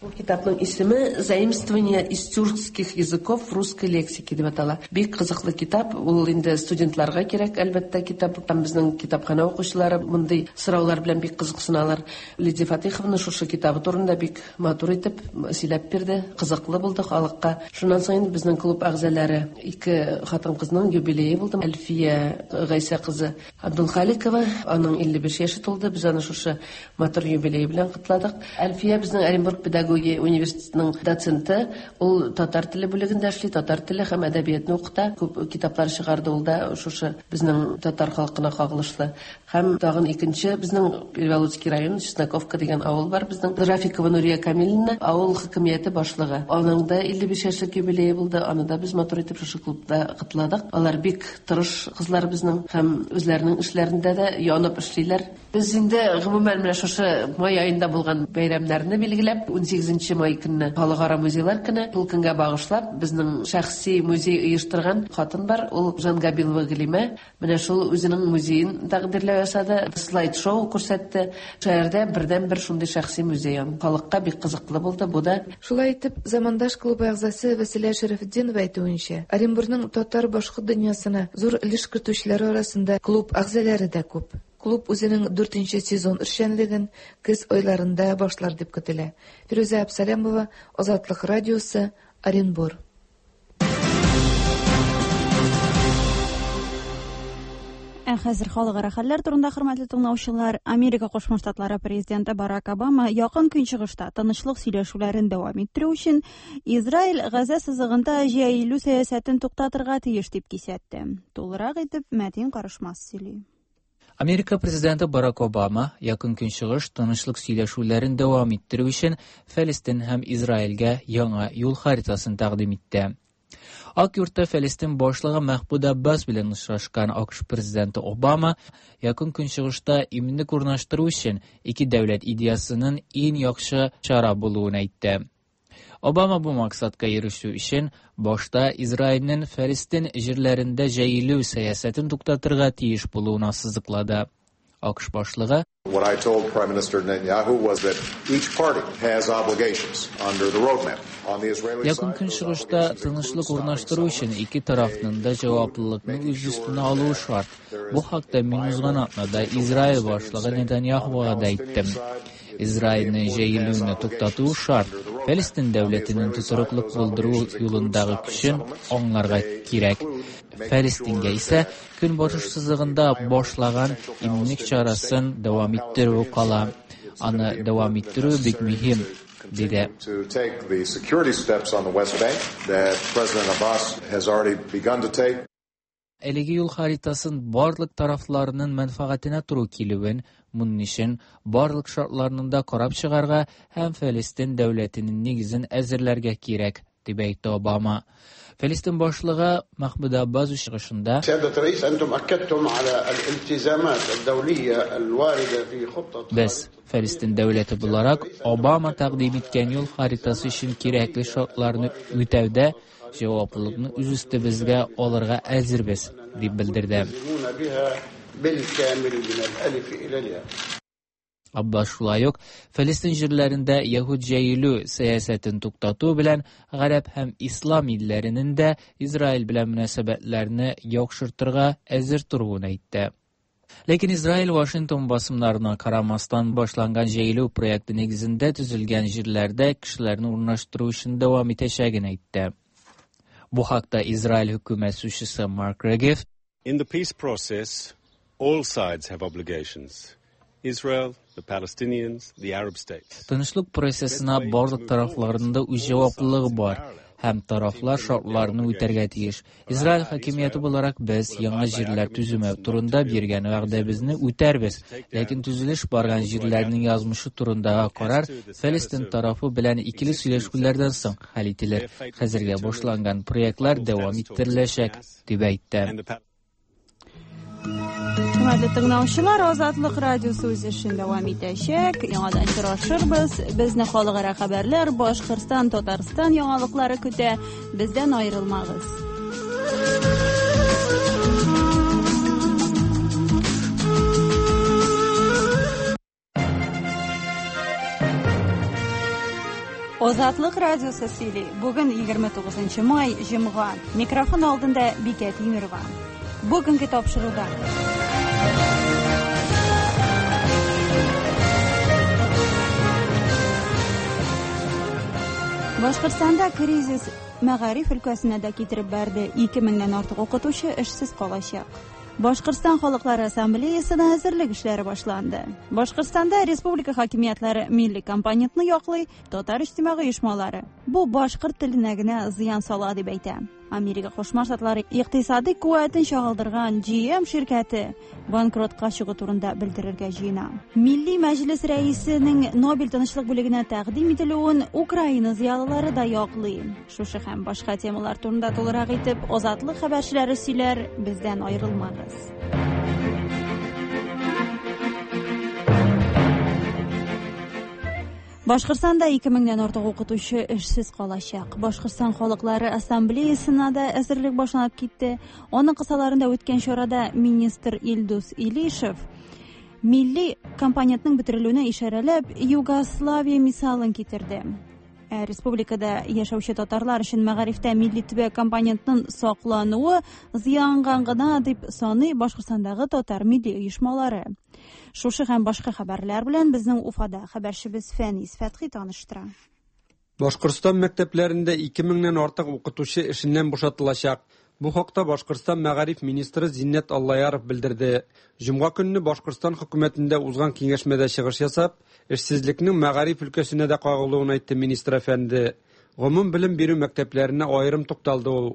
Бу китапның исеме «Заимствование из тюркских языков в русской лексике» дип атала. Бик кызыклы китап. Ул инде студентларга кирәк, әлбәттә, китап. Һәм безнең китапхана укучылары мондый сораулар белән бик кызыксыналар. Лидия Фатиховна шушы китабы турында бик матур итеп сөйләп бирде. Кызыклы булды халыкка. Шуннан соң инде безнең клуб әгъзалары ике хатын-кызның юбилее булды. Әлфия Гайсә кызы Абдулхаликова, аның илле биш яше тулды. Без аны шушы матур юбилее белән котладык. Әлфия безнең Оренбург педагогия университетының доценты, ул татар теле бүлегендә эшли, татар теле һәм әдәбиятны укыта. Күп китаплар чыгарды ул да шушы безнең татар халкына кагылышлы. Һәм тагын икенче безнең Переволоцкий район, Чесноковка дигән авыл бар безнең. Рафикова Нурия Камиловна, авыл хакимияте башлыгы. Аның да илле биш яшьлек юбилее булды. Аны да без матур итеп шушы клубта котладык. Алар бик тырыш кызлар безнең һәм үзләренең эшләрендә дә янып эшлиләр. Без инде гомумән менә шушы май аенда булган бәйрәмнәрне билгеләп, ун сигезенче май көнне Халыкара музейлар көне, шул көнгә багышлап безнең шәхси музей оештырган хатын бар, ул Жангабилова Галимә. Менә шул үзенең музеен тәкъдирләү ясады, слайд-шоу күрсәтте. Шәһәрдә бердән-бер шундый шәхси музей. Халыкка бик кызыклы булды бу да. Шулай итеп, Замандаш клубы әгъзасы Вәсилә Шәрәфетдинова әйтүенчә, Оренбургның татар-башкорт дөньясына зур өлеш кертүчеләр арасында клуб әгъзалары да күп. Клуб үзенең дүртенче сезон эшчәнлеген көз айларында башлар дип көтелә. Фирүзә Абсалямова, Азатлык радиосы, Оренбур. Ә хәзер халыкара хәлләр турында, хөрмәтле тыңлаучылар. Америка Кушма Штатлары президенты Барак Обама якын көнчыгышта тынычлык сөйләшүләрен дәвам иттерү өчен Израиль Газа сызыгында җәелү сәясәтен туктатырга тиеш дип кисәтте. Тулырак итеп Мәтин Карышмас сөйли. Америка президенты Барак Обама якын көнчыгыш тынычлык сөйләшүләрен дәвам иттерү өчен Фәлестин һәм Израильгә яңа юл харитасын тәкъдим итте. Ак йортта Фәлестин башлыгы Мәхмүд Аббас белән очрашкан АКШ президенты Обама якын көнчыгышта иминлек урнаштыру өчен ике дәүләт идеясының иң яхшы чара булуын әйтте. Обама бу максатка ирешү өчен башта Израильнең Фәлестин җирләрендә җәелү сәясәтен туктатырга тиеш булуын ассызыклады. АКШ башлыгы What I told Prime Minister Netanyahu was that each party has obligations under the roadmap. On the Israeli Якын көнчыгышта тынычлык урнаштыру өчен ике тарафның да җаваплылыкны үз өстенә алуы шарт. Бу хакта мин узган атнада Израиль башлыгы Нетаньяхуга да әйттем. Израильне җәелүне туктату шарт. Фәлестин дәүләтенең тотрыклык булдыру юлындагы көчен аңларга кирәк. Фәлестингә исә көнбатыш сызыгында башлаган иминлек чарасын дәвам иттерү кала. Аны дәвам иттерү бик мөһим, диде. To take the security steps on the West Bank that President Abbas has already begun to take. Әлеге юл харитасын барлык тарафларының мәнфәгатенә туры килүен, моның өчен барлык шартларны да карап чыгарга һәм Фәлестин дәүләтенең нигезен әзерләргә кирәк, дип әйтте Обама. Фәлестин башлыгы Мәхмүд Аббас чыгышында Без, Фәлестин дәүләте буларак, Обама тәкъдим иткән юл харитасы өчен кирәкле шартларны үтәүдә җаваплылыкны үз өстебезгә алырга әзербез, дип белдерде. Аббас шулай ук Фәлестин җирләрендә яһүд җәелү сәясәтен туктату белән гарәп һәм ислам илләренең дә Израиль белән мөнәсәбәтләрне яхшыртырга әзер торуын әйтте. Ләкин Израиль Вашингтон басымнарына карамастан башланган җәелү проекты нигезендә төзелгән җирләрдә кешеләрне урнаштыру эшен дәвам итәчәген әйтте. Бу хакта Израиль хөкүмәт сүзчесе Марк Регев In the peace process, all sides have obligations. Israel, the Palestinians, the Arab states. Тынычлык процессына барлык тарафларның да үз җаваплылыгы бар. һәм тарафлар шартларны үтәргә тиеш. Израиль хакимияте буларак без яңа җирләр төземәү турында биргән вәгъдәбезне үтәрбез, ләкин төзелеш барган җирләрнең язмышы турындагы карар Фәлестин тарафы белән икеле сөйләшүләрдән соң хәл ителер. Хәзергә башланган проектлар дәвам иттереләчәк, дип әйтте. Хөрмәтле тыңлаучылар, Азатлык радиосы үз эшен дәвам итәчәк. Яңадан очрашырбыз. Безне халыкара хәбәрләр, Башкортстан, Татарстан яңалыклары көтә. Бездән аерылмагыз. Азатлык радиосы сөйли. Бүген егерме тугызынчы май, җомга. Микрофон алдында Бикә Тимирова. Бүгенге тапшыруда. Башкортстанда кризис мәгариф өлкәсенә дә китереп бәрде. Ике меңнән артык укытучы эшсез калачак. Башкортстан халыклары ассамблеясына әзерлек эшләре башланды. Башкортстанда республика хакимиятләре милли компонентны яклый, татар иҗтимагый оешмалары бу башкорт теленә генә зыян сала дип әйтә. Америка Кушма Штатлары икътисади куәтен чагылдырган Джи Эм ширкәте банкротка чыгу турында белдерергә җыена. Милли мәҗлес рәисенең Нобель тынычлык бүлегенә тәкъдим ителүен Украина зыялылары да яклый. Шушы һәм башка темалар турында тулырак итеп Азатлык хәбәрчеләре сөйләр, бездән аерылмагыз. Башкортстанда ике меңнән артык укытучы эшсез калачак. Башкортстан халыклары ассамблеясына да әзерлек башланып китте. Аның кысаларында үткән чарада министр Илдус Илишев милли компонентның бетерелүенә ишарәләп Югославия мисалын китерде. Республикада яшәүче татарлар өчен мәгарифтә милли төбәк компонентның саклануы зыянган гына дип саный Башкортстандагы татар милли оешмалары. Шушы һәм башка хәбәрләр белән безнең Уфада хәбәрчебез Фәнис Фәтхи таныштыра. Башкортстан мәктәпләрендә ике меңнән артык укытучы эшеннән бушатылачак. Бу хакта Башкортстан мәгариф министры Зиннәт Аллаяров белдерде. Җомга көнне Башкортстан хөкүмәтендә узган киңәшмәдә чыгыш ясап, эшсезлекнең мәгариф өлкәсенә дә кагылуын әйтте министр әфәнде. Гомум белем бирү мәктәпләренә аерым тукталды ул.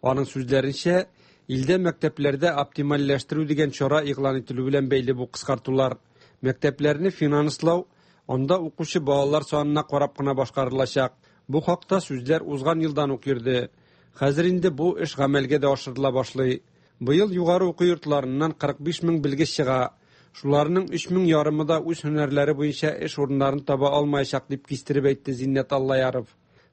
Аның сүзләренчә, илдә мәктәпләрдә оптимальләштерү дигән чара игълан ителү белән бәйле бу кыскартулар. Мәктәпләрне финанслау анда укучы балалар санына карап кына башкарылачак. Бу хакта сүзләр узган елдан ук йөрде. Хәзер инде бу эш гамәлгә дә ашырыла башлый. Быел югары уку йортларыннан кырык биш мең белгеч чыга. Шуларның өч мең ярымы да үз һөнәрләре буенча эш урыннарын таба алмаячак дип кистереп әйтте Зиннәт Аллаяров.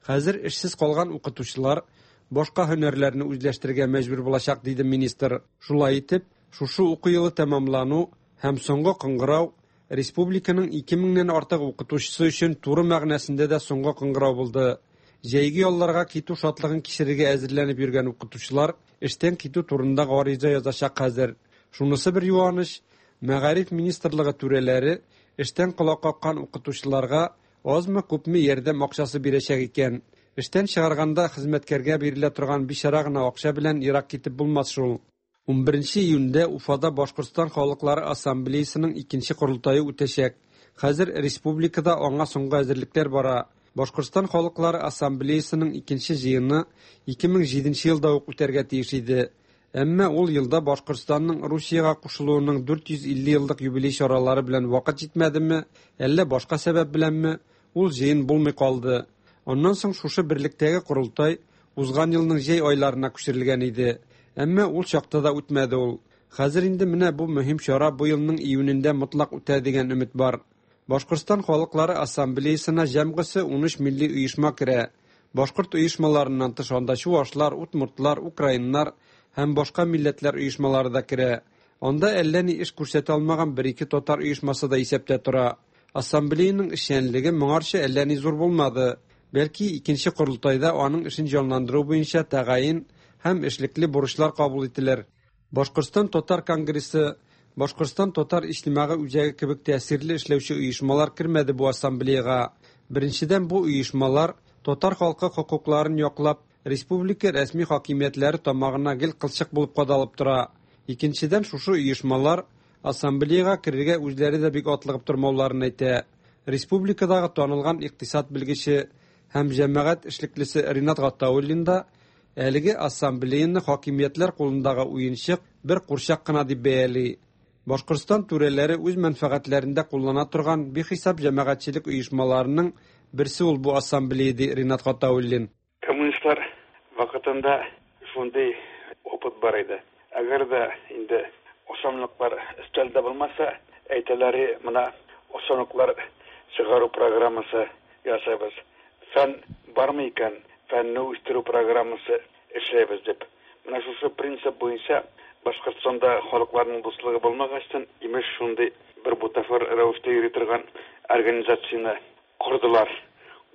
Хәзер эшсез калган укытучылар башка һөнәрләрне үзләштерергә мәҗбүр булачак, диде министр. Шулай итеп, шушы уку елы тәмамлану һәм соңгы кыңгырау республиканың ике меңнән артык укытучысы өчен туры мәгънәсендә дә соңгы кыңгырау булды. Җәйге ялларга китү шатлыгын кичерергә әзерләнеп йөргән укытучылар эштән китү турында гариза язачак хәзер. Шунысы бер юаныч, мәгариф министрлыгы түрәләре эштән колак каккан укытучыларга азмы-күпме ярдәм акчасы бирәчәк икән. Эштән чыгарганда хезмәткәргә бирелә торган бичара гына акча белән ерак китеп булмас шул. Унберенче июньдә Уфада Башкортстан халыклары ассамблеясының икенче корылтае үтәчәк. Хәзер республикада аңа соңгы әзерлекләр бара. Башкортстан халыклары ассамблеясының икенче җыены ике мең җиденче елда ук үтәргә тиеш иде. Әмма ул елда Башкортстанның Русиягә кушылуының дүрт йөз илле еллык юбилей чаралары белән вакыт җитмәдеме, әллә башка сәбәп беләнме, ул җыен булмый калды. Аннан соң шушы берлектәге корылтай узган елның җәй айларына күчерелгән иде. Әмма ул чакта да үтмәде ул. Хәзер инде менә бу мөһим чара бу елның июнендә мотлак үтә дигән өмет бар. Башкортстан халыклары ассамблеясына җәмгысе унөч милли оешма керә. Башкорт оешмаларыннан тыш анда чувашлар, удмуртлар, украиннар һәм башка милләтләр оешмалары да керә. Анда әллә ни эш күрсәтә алмаган бер-ике татар оешмасы да исәптә тора. Ассамблеяның эшчәнлеге моңарчы әллә ни зур булмады. Бәлки икенче корылтайда аның эшен җанландыру буенча тәгаен һәм эшлекле бурычлар кабул ителер. Башкортстан татар конгрессы, Башкортстан татар иҗтимагый үзәге кебек тәэсирле эшләүче оешмалар кермәде бу ассамблеяга. Беренчедән, бу оешмалар татар халкы хокукларын яклап, республика рәсми хакимиятләре тамагына гел кылчык булып кадалып тора. Икенчедән, шушы оешмалар ассамблеяга керергә үзләре дә бик атлыгып тормауларын әйтә. Республикадагы танылган икътисад белгече, һәм җәмәгать эшлеклесе Ринат Гатауллин да әлеге ассамблеяны хакимиятләр кулындагы уенчык бер курчак кына дип бәяли. Башкортстан түрәләре үз мәнфәгатьләрендә куллана торган бихисап җәмәгатьчелек оешмаларының берсе ул бу ассамблея, ди Ринат Гатауллин. Коммунистлар вакытында шундый опыт бар иде. Әгәр дә инде ашамлыклар өстәлдә булмаса, әйтәләре менә ашамлыклар чыгару программасы ясайбыз. Фән бармы икән, фәнне үстерү программасы эшләйбез дип. Менә шушы принцип буенча Башкортстанда халыкларның дуслыгы булмагачтан, имеш шундый бер бутафор рәвештә йөри торган организацияне кордылар.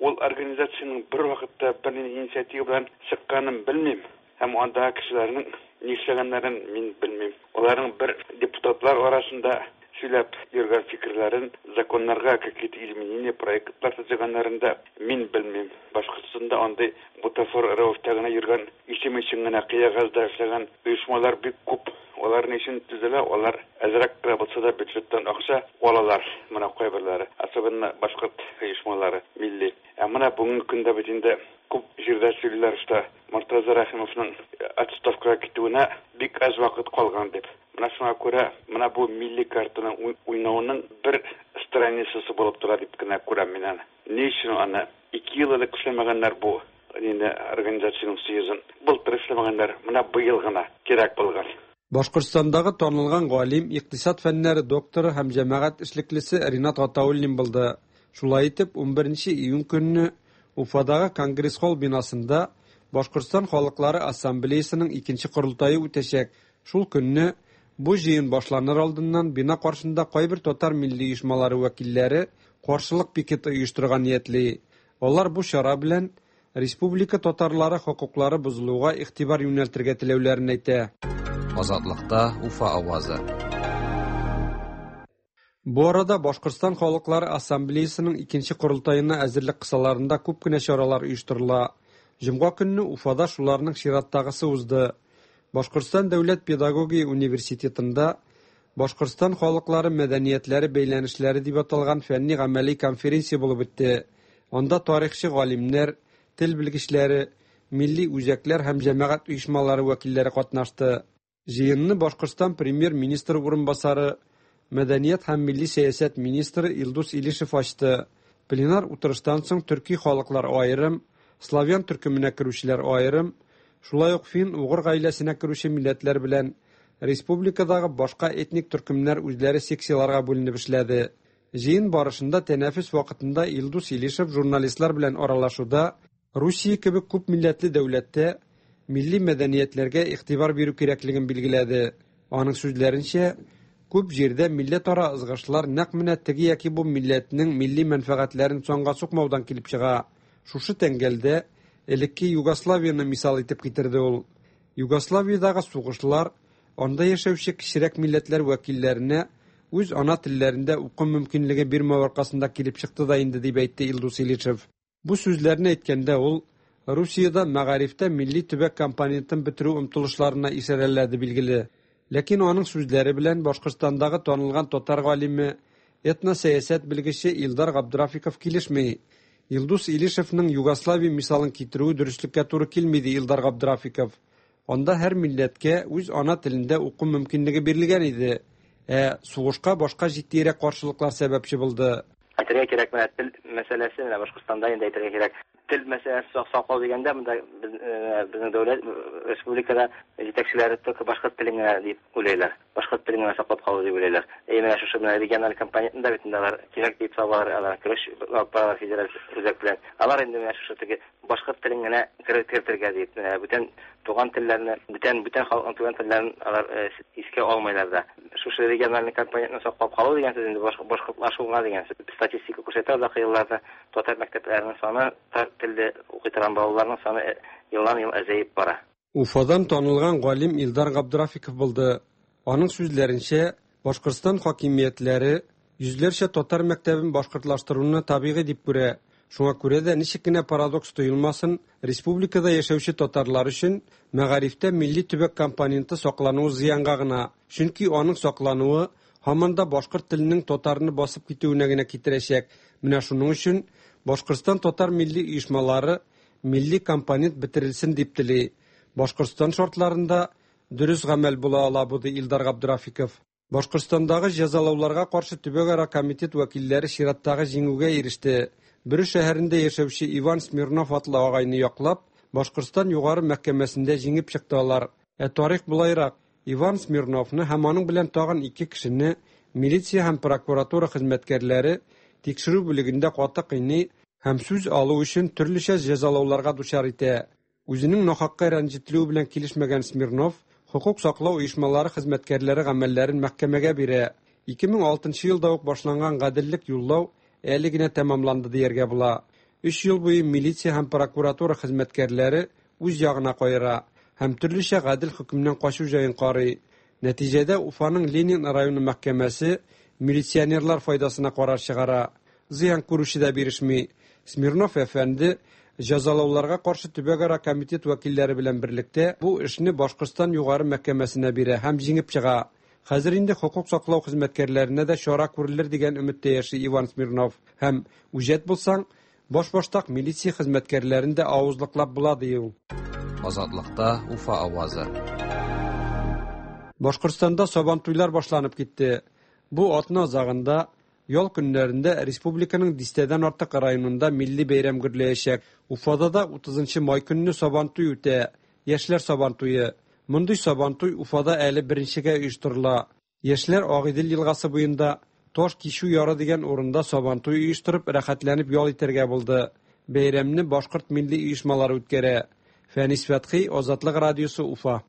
Ул организациянең бер вакытта бер инициатива белән чыкканын белмим. Һәм андагы кешеләрнең нишләгәннәрен мин белмим. Аларның бер депутатлар арасында сөйләп йөргән фикерләрен, законнарга какие-то изменения, проектлар төзегәннәрен дә мин белмим. Башкортстанда андый бутафор рәвештә генә йөргән, исем өчен генә кыягазда эшләгән оешмалар бик күп. Алар ни өчен төзелә? Алар әзрәк кенә булса да бюджеттан акча алалар. Менә кайберләре, особенно башкорт оешмалары, милли. Ә менә бүгенге көндә бит инде күп җирдә сөйлиләр, что Мортаза Рәхимовның отставкага китүенә бик аз вакыт калган дип. Менә шуңа күрә менә бу милли картаны уйнауның бер страницасы булып тора дип кенә күрәм мин аны. Ни өчен аны ике ел элек эшләмәгәннәр бу инде организациянең съездын? Былтыр эшләмәгәннәр, менә быел гына кирәк булган. Башкортстандагы танылган галим, икътисад фәннәре докторы һәм җәмәгать эшлеклесе Ринат Гатауллин булды. Шулай итеп, унберенче июнь көнне Уфадагы Конгресс-холл бинасында Башкортстан халыклары ассамблеясының икенче корылтае үтәчәк. Шул көнне бу җыен башланыр алдыннан бина каршында кайбер татар милли оешмалары вәкилләре каршылык пикеты оештырырга ниятли. Алар бу чара белән республика татарлары хокуклары бозылуга игътибар юнәлтергә теләүләрен әйтә. Азатлыкта Уфа авазы. Бу арада Башкортстан халыклары ассамблеясының икенче корылтаена әзерлек кысаларында күп кенә чаралар оештырыла. Җомга көнне Уфада шуларның чираттагысы узды. Башкортстан дәүләт педагогия университетында Башкортстан халыклары мәдәниятләре бәйләнешләре дип аталган фәнни гамәли конференция булып үтте. Анда тарихчы галимнәр, тел белгечләре, милли үзәкләр һәм җәмәгать оешмалары вәкилләре катнашты. Җыенны Башкортстан премьер-министры урынбасары, мәдәният һәм милли сәясәт министры Илдус Илишев ачты. Пленар утырыштан соң төрки халыклар аерым, славян төркеменә керүчеләр аерым, шулай ук фин-угыр гаиләсенә керүче милләтләр белән республикадагы башка этник төркемнәр үзләре секцияларга бүленеп эшләде. Җыен барышында тәнәфес вакытында Илдус Илишев журналистлар белән аралашуда Русия кебек күп милләтле дәүләттә милли мәдәниятләргә игътибар бирү кирәклеген билгеләде. Аның сүзләренчә, күп җирдә милләтара ызгышлар нәкъ менә теге яки бу милләтнең милли мәнфәгатьләрен санга сукмаудан килеп чыга. Шушы тәңгәлдә элекке Югославияны мисал итеп китерде ул. Югославиядагы сугышлар анда яшәүче кечерәк милләтләр вәкилләренә үз ана телләрендә уку мөмкинлеге бирмәү аркасында килеп чыкты да инде, дип әйтте Илдус Илишев. Бу сүзләрне әйткәндә ул Русиядә мәгарифтә милли төбәк компонентын бетерү омтылышларына ишарәләде билгеле. Ләкин аның сүзләре белән Башкортстандагы танылган татар галиме, этносәясәт белгече Илдар Габдрафиков килешми. Илдус Илишевның Югославия мисалын китерүе дөреслеккә туры килми, ди Илдар Габдрафиков. Анда һәр милләткә үз ана телендә уку мөмкинлеге бирелгән иде. Ә сугышка башка җитдирәк каршылыклар сәбәпче булды. Әйтергә кирәк, менә тел мәсьәләсе, менә Башкортстанда инде әйтергә кирәк. Тел мәсьәләсе саклау дигәндә, монда безнең дәүләт республикада җитәкчеләре только башкорт телен генә дип уйлыйлар. Башкорт телен генә саклап калу дип уйлыйлар. Ә менә шушы менә региональ компонентында бит инде алар кирәк дип табалар, алар көрәш алып баралар федераль үзәк белән. Алар инде менә шушы теге башкорт телен генә кертергә дип, менә бүтән туган телләрне, бүтән бүтән халыкның туган телләрен алар искә алмыйлар да. Шушы региональ компонентны саклап калу дигән сүз инде башкортлашуга дигән сүз. Статистика күрсәтә, озак елларда татар мәктәпләренең саны, татар телдә укый торган балаларның саны елдан-ел азаеп бара. Уфадан танылган галим Илдар Габдрафиков булды. Аның сүзләренчә, Башкортстан хакимиятләре йөзләрчә татар мәктәбен башкортлаштыруны табигый дип күрә. Шуңа күрә дә ничек кенә парадокс тоелмасын, республикада яшәүче татарлар өчен мәгарифтә милли төбәк компоненты саклануы зыянга гына. Чөнки аның саклануы һаман да башкорт теленең татарны басып китүенә генә китерәчәк. Менә шуның өчен Башкортстан татар милли оешмалары милли компонент бетерелсен дип тели. Башкортстан шартларында дөрес гамәл була ала бу, ди Илдар Габдрафиков. Башкортстандагы җәзалауларга каршы төбәкара комитет вәкилләре чираттагы җиңүгә иреште. Бөре шәһәрендә яшәүче Иван Смирнов атлы агайны яклап, Башкортстан югары мәхкәмәсендә җиңеп чыкты алар. Ә тарих булайрак, Иван Смирновны һәм аның белән тагын ике кешене милиция һәм прокуратура хезмәткәрләре тикшерү бүлегендә каты кыйный һәм сүз алу өчен төрлечә җәзалауларга дучар итә. Үзенең нахакка рәнҗетелүе белән килешмәгән Смирнов хукук саклау оешмалары хезмәткәрләре гамәлләрен мәхкәмәгә бирә. ике мең алтынчы елда ук башланган гаделлек юллау әле генә тәмамланды дияргә була. Өч ел буе милиция һәм прокуратура хезмәткәрләре үз ягына кайыра һәм төрлечә гадел хөкемнән качу җаен карый. Нәтиҗәдә Уфаның Ленин районы мәхкәмәсе милиционерлар файдасына карар чыгара. Зыян күрүче дә бирешми. Смирнов әфәнде җәзалауларга каршы төбәкара комитет вәкилләре белән берлектә бу эшне Башкортстан югары мәхкәмәсенә бирә һәм җиңеп чыга. Хәзер инде хукук саклау хезмәткәрләренә дә чара күрелер дигән өметтә яши Иван Смирнов. Һәм үҗәт булсаң, баш-баштак милиция хезмәткәрләрен дә авызлыклап була, ди ул. Азатлыкта Уфа авазы. Башкортстанда Сабантуйлар башланып китте. Бу атна азагында ял көннәрендә республиканың дистәдән артык районында милли бәйрәм гөрләячәк. Уфада да утызынчы май көнне Сабантуй үтә. Яшьләр Сабантуе. Мондый Сабантуй Уфада әле беренчегә оештырыла. Яшьләр Агыйдел елгасы буенда Таш кишү яры дигән урында Сабантуй оештырып, рәхәтләнеп ял итәргә булды. Бәйрәмне башкорт милли оешмалары үткәрә. Фәнис Фәтхи, Азатлык радиосы, Уфа.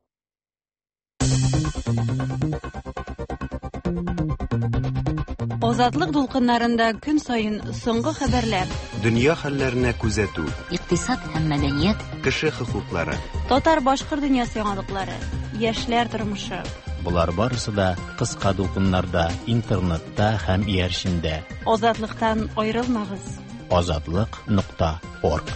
Азатлык дулкыннарында көн саен соңгы хәбәрләр, дөнья хәлләренә күзәтү, икътисад һәм мәдәният, кеше хокуклары, татар-башкорт дөньясы яңалыклары, яшьләр тормышы. Болар барысы да кыска дулкыннарда, интернетта һәм иярчендә. Азатлыктан аерылмагыз. Азатлык нокта орг.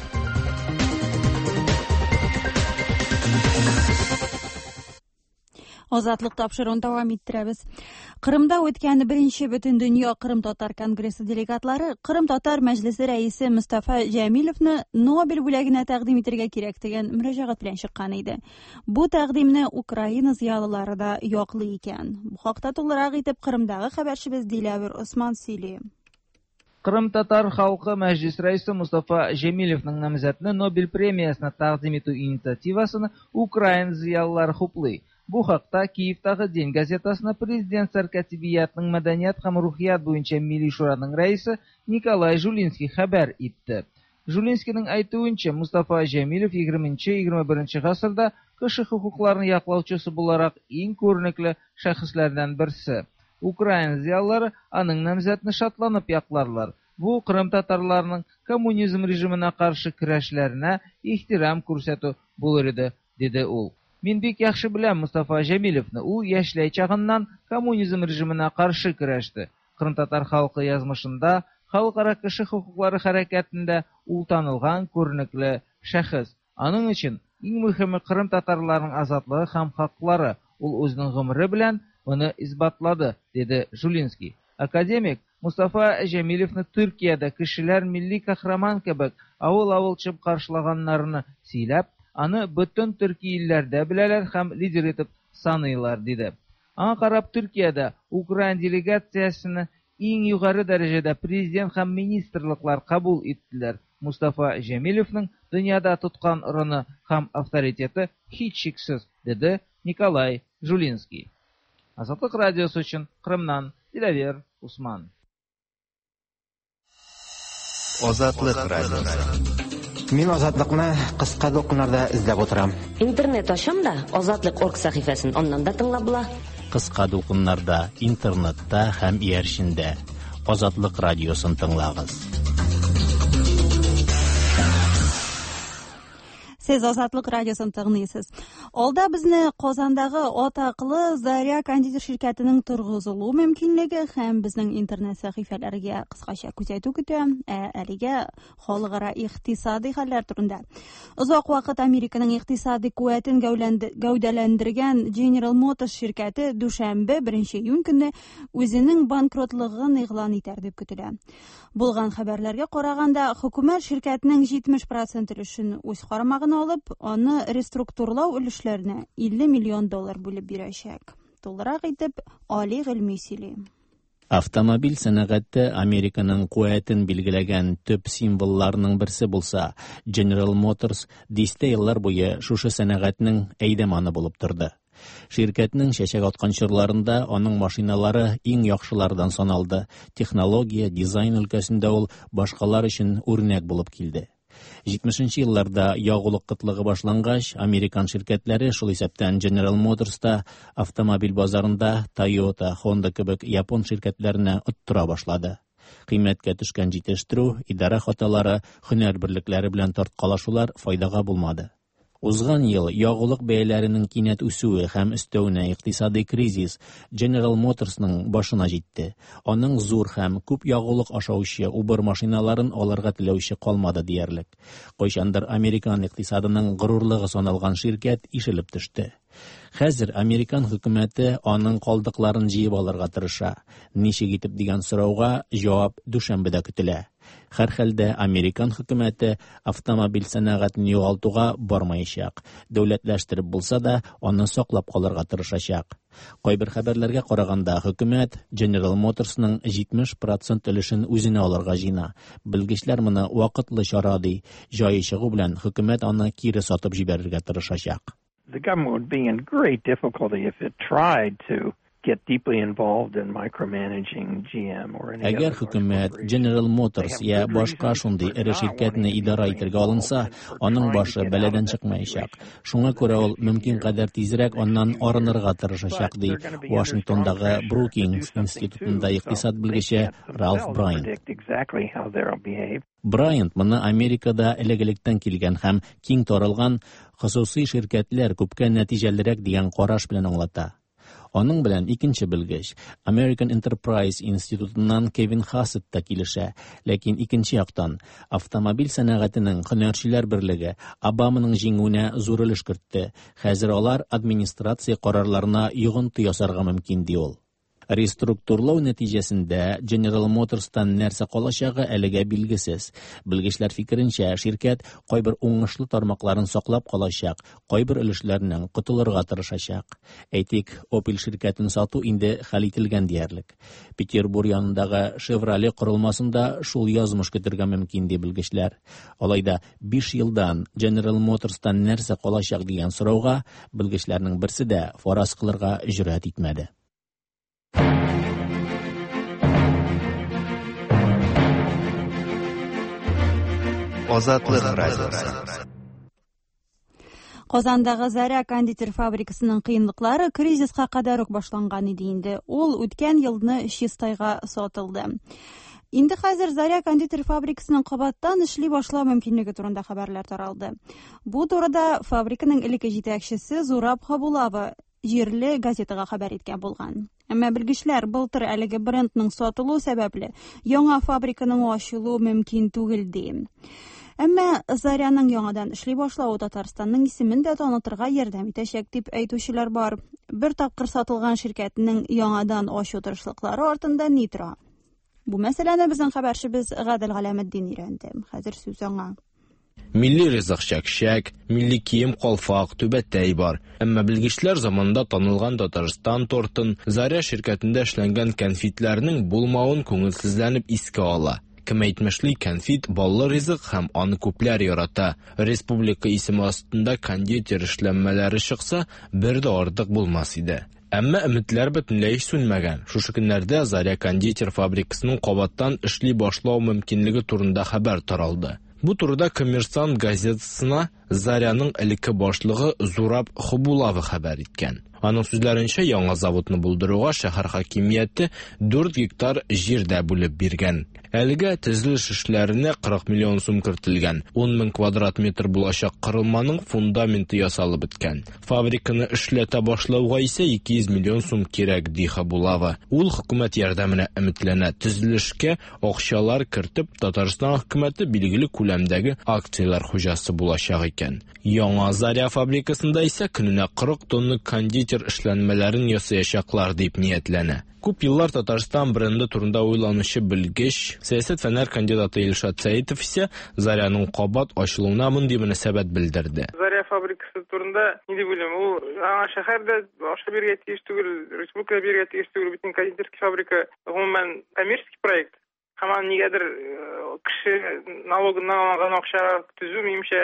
Азатлык тапшыруын дәвам иттерәбез. Кырымда үткән беренче Бөтендөнья Кырым татар конгрессы делегатлары Кырым татар мәҗлесе рәисе Мустафа Җәмилевны Нобель бүләгенә тәкъдим итәргә кирәк дигән мөрәҗәгать белән чыккан иде. Бу тәкъдимне Украина зыялылары да яклый икән. Бу хакта тулырак итеп Кырымдагы хәбәрчебез Диләвер Осман сөйли. Кырым татар халкы мәҗлис рәисе Мустафа Җәмилевның намзәтне Нобель премиясенә тәкъдим итү инициативасын Украина зыялылары хуплый. Бу хакта Киевтагы День газетасына президент сәркатибиятның мәдәният һәм рухият буенча милли шураның рәисе Николай Жулинский хәбәр итте. Жулинскийның әйтүенчә, Мустафа Җәмилев егерменче-егерме беренче гасырда кеше хокукларын яклаучысы буларак иң күренекле шәхесләрдән берсе. Украина зыялылары аның намзәтне шатланып якларлар. Бу Кырым татарларының коммунизм режимына каршы көрәшләренә ихтирам күрсәтү булыр иде, диде ул. Мин бик яхшы беләм Мустафа Җәмилевны. Ул яшьләй чагыннан коммунизм режимына каршы көрәште. Кырым татар халкы язмышында, халыкара кеше хокуклары хәрәкәтендә ул танылган күренекле шәхес. Аның өчен иң мөһиме Кырым татарларының азатлыгы һәм хаклары. Ул үзенең гомере белән моны исбатлады, диде Жулинский. Академик Мустафа Җәмилевны Төркиядә кешеләр милли кахраман кебек авыл-авыл чыгып каршылаганнарны сөйләп, аны бөтен төрки илләрдә беләләр һәм лидер итеп саныйлар, диде. Аңа карап Төркиядә Украина делегациясен иң югары дәрәҗәдә президент һәм министрлыклар кабул иттеләр. Мустафа Җәмилевның дөньяда тоткан урыны һәм авторитеты һичшиксез, диде Николай Жулинский. Азатлык радиосы өчен Кырымнан Диләвер Усман. Азатлык радиосы. Мин Азатлыкны кыска дулкыннарда эзләп утырам. Интернет ачам да Азатлык орг сәхифәсен аннан да тыңлап була. Кыска дулкыннарда, интернетта һәм иярчендә Азатлык радиосын тыңлагыз. Сез Азатлык радиосын тыңлыйсыз. Алда безне Казандагы атаклы Заря кондитер ширкәтенең торгызылу мөмкинлеге һәм безнең интернет сәхифәләргә кыскача күзәтү көтә. Ә әлегә халыкара икътисади хәлләр турында. Озак вакыт Американың икътисади куәтен гәүдәләндергән General Motors ширкәте дүшәмбе беренче июнь көнне үзенең банкротлыгын игълан итәр дип көтелә. Булган хәбәрләргә караганда, хөкүмәт ширкәтнең җитмеш процент өлешен үз карамагына алып, аны реструктурлау өлешләренә илле миллион доллар бүлеп бирәчәк. Тулырак итеп Али Гыйльми сөйли. Автомобиль сәнәгате Американың куәтен билгеләгән төп символларының берсе булса, General Motors дистә еллар буе шушы сәнәгатьнең әйдәманы булып торды. Ширкәтнең чәчәк аткан чорларында аның машиналары иң яхшылардан саналды. Технология, дизайн өлкәсендә ул башкалар өчен үрнәк булып килде. җитмешенче елларда ягулык кытлыгы башлангач, американ ширкәтләре, шул исәптән General Motors та автомобиль базарында Toyota, Honda кебек япон ширкәтләренә оттыра башлады. Кыйммәткә төшкән җитештерү, идарә хаталары, һөнәр берлекләре белән тарткалашулар файдага булмады. Узган ел ягулык бәяләренең кинәт үсүе һәм өстәвенә икътисади кризис General Motorsның башына җитте. Аның зур һәм күп ягулык ашаучы убыр машиналарын алырга теләүче калмады диярлек. Кайчандыр американ икътисадының горурлыгы саналган ширкәт ишелеп төште. Хәзер американ хөкүмәте аның калдыкларын җыеп алырга тырыша. Ничек итеп дигән сорауга җавап дүшәмбедә көтелә. Һәр хәлдә американ хөкүмәте автомобиль сәнәгатен югалтуга бармаячак. Дәүләтләштереп булса да, аны саклап калырга тырышачак. Кайбер хәбәрләргә караганда, хөкүмәт General Motorsның җитмеш процент өлешен үзенә алырга җыена. Белгечләр моны вакытлы чара ди. Җае чыгу белән хөкүмәт аны кире сатып җибәрергә тырышачак. The government would be in great difficulty if it tried to get deeply involved in micromanaging G M or any Әгәр хөкүмәт General Motors я башка шундый эре ширкәтне идарә итәргә алынса, аның башы бәладән чыкмаячак. Шуңа күрә ул мөмкин кадәр тизрәк аннан арынырга тырышачак, ди Вашингтондагы Брукингс институтында икътисад белгече Ралф Брайант. Брайант моны Америкада элек-электән килгән һәм киң таралган хосусый ширкәтләр күпкә нәтиҗәлерәк дигән караш белән аңлата. Аның белән икенче белгеч American Enterprise институтыннан Кевин Хассет та килешә, ләкин икенче яктан автомобиль сәнәгатенең һөнәрчеләр берлеге Обаманың җиңүенә зур өлеш кертте. Хәзер алар администрация карарларына йогынты ясарга мөмкин, ди ул. Реструктурлау нәтиҗәсендә General Motors'тан нәрсә калачагы әлегә билгесез. Белгечләр фикеренчә, ширкәт кайбер уңышлы тармакларын саклап калачак, кайбер өлешләреннән котылырга тырышачак. Әйтик, Opel ширкәтен сату инде хәл ителгән диярлек. Петербург янындагы Chevrolet корылмасында шул язмыш көтергә мөмкин, ди белгечләр. Алай да биш елдан General Motors'тан нәрсә калачак дигән сорауга белгечләрнең берсе дә фараз кылырга җөрьәт итмәде. Азатлык радиосы. Казандагы Заря кондитер фабрикасының кыенлыклары кризиска кадәр үк башланган иде инде. Ул үткән елны Чистайга сатылды. Инде хәзер Заря кондитер фабрикасының кабаттан эшли башлау мөмкинлеге турында хәбәрләр таралды. Бу турыда фабриканың элекке җитәкчесе Зураб Хабулава җирле газетага хәбәр иткән булган. Әмма белгечләр былтыр әлеге брендның сатылу сәбәпле яңа фабриканың ачылуы мөмкин түгел ди. Әмма Заряның яңадан эшли башлавы Татарстанның исемен дә танытырга ярдәм итәчәк дип әйтүчеләр бар. Бер тапкыр сатылган ширкәтнең яңадан ачу тырышлыклары артында ни тора? Бу мәсьәләне безнең хәбәрчебез Гадел Галәметдин өйрәнде. Хәзер сүз аңа. Милли ризык чәкчәк, милли кием калфак, түбәтәй бар. Әмма белгечләр заманында танылган Татарстан тортын, Заря ширкәтендә эшләнгән кәнфитләрнең булмавын күңелсезләнеп искә ала. Кем әйтмешли, кәнфит баллы ризык һәм аны күпләр ярата. Республика исеме астында кондитер эшләнмәләре чыкса, бер дә артык булмас иде. Әмма өметләр бөтенләй сүнмәгән. Шушы көннәрдә Заря кондитер фабрикасының кабаттан эшли башлау мөмкинлеге турында хәбәр таралды. Бу турыда Коммерсант газетасына Заряның элекке башлыгы Зураб Хубулава хәбәр иткән. Аның сүзләренчә, яңа заводны булдыруга шәһәр хакимияте дүрт гектар җир дә бүлеп биргән. Әлегә төзелеш эшләренә кырык миллион сум кертелгән. Ун мең квадрат метр булачак корылманың фундаменты ясалып беткән. Фабриканы эшләтә башлауга исә ике йөз миллион сум кирәк, ди Хабулава. Ул хөкүмәт ярдәменә өметләнә. Төзелешкә акчалар кертеп, Татарстан хөкүмәте билгеле күләмдәге акцияләр хуҗасы булачак икән. Яңа Заря фабрикасында исә көненә кырык тонна кондитер эшләнмәләрен ясаячаклар дип ниятләнә. Күп еллар Татарстан бренды турында уйланучы белгеч, сәясәт фәннәр кандидаты Илшат Сәитов исә Заряның кабат ачылуына мондый мөнәсәбәт белдерде. Заря фабрикасы турында ни дип уйлыйм? Ул аңа шәһәрдә акча бирергә тиеш түгел, республика бирергә тиеш түгел, бөтен кондитерский фабрика гомумән коммерческий проект. Һәм аны нигәдер кеше налогыннан алган акча төзү минемчә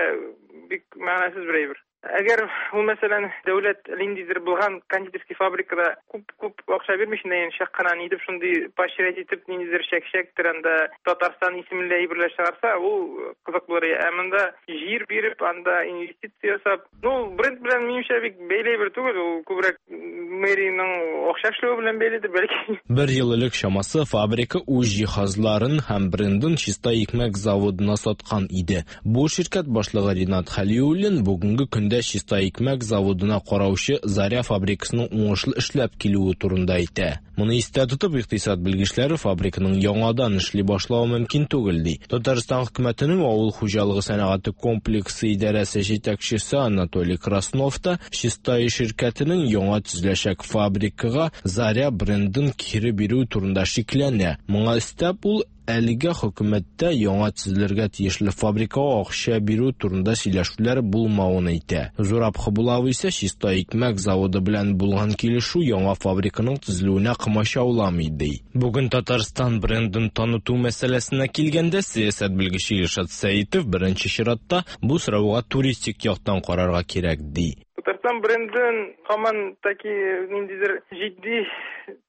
бик мәгънәсез бер әйбер. Әгәр ул, мәсәлән, дәүләт ниндидер булган кондитерский фабрикада күп-күп акча бирмичә, инде чак кына ни дип шундый поощрять итеп ниндидер чәк-чәктер анда Татарстан исемле әйберләр чыгарса, ул кызык булыр. Ә монда җир биреп, анда инвестиция ясап, ну, бренд белән минемчә бик бәйле әйбер түгел, ул күбрәк мэриянең акча эшләве белән бәйледер бәлки. Бер ел элек чамасы фабрика үз җиһазларын һәм брендын Чиста икмәк заводына саткан иде. Бу ширкәт башлыгы Ринат Хәлиуллин бүгенге көндә Чиста икмәк заводына караучы Заря фабрикасының уңышлы эшләп килүе турында әйтә. Моны истә тотып, икътисад белгечләре фабриканың яңадан эшли башлавы мөмкин түгел ди. Татарстан хөкүмәтенең авыл хуҗалыгы сәнәгате комплексы идарәсе җитәкчесе Анатолий Краснов та Чистай ширкәтенең яңа төзеләчәк фабрикага Заря брендын кире бирү турында шикләнә. Моңа өстәп, ул әлегә хөкүмәттә яңа төзелергә тиешле фабрикага акча бирү турында сөйләшүләр булмавын әйтә. Зураб Хабулава исә Чиста икмәк заводы белән булган килешү яңа фабриканың төзелүенә комачауламый ди. Бүген Татарстан брендын таныту мәсьәләсенә килгәндә, сәясәт белгече Илшат Сәитов беренче чиратта бу сорауга туристик яктан карарга кирәк ди. Татарстан брендын һаман таки ниндидер җитди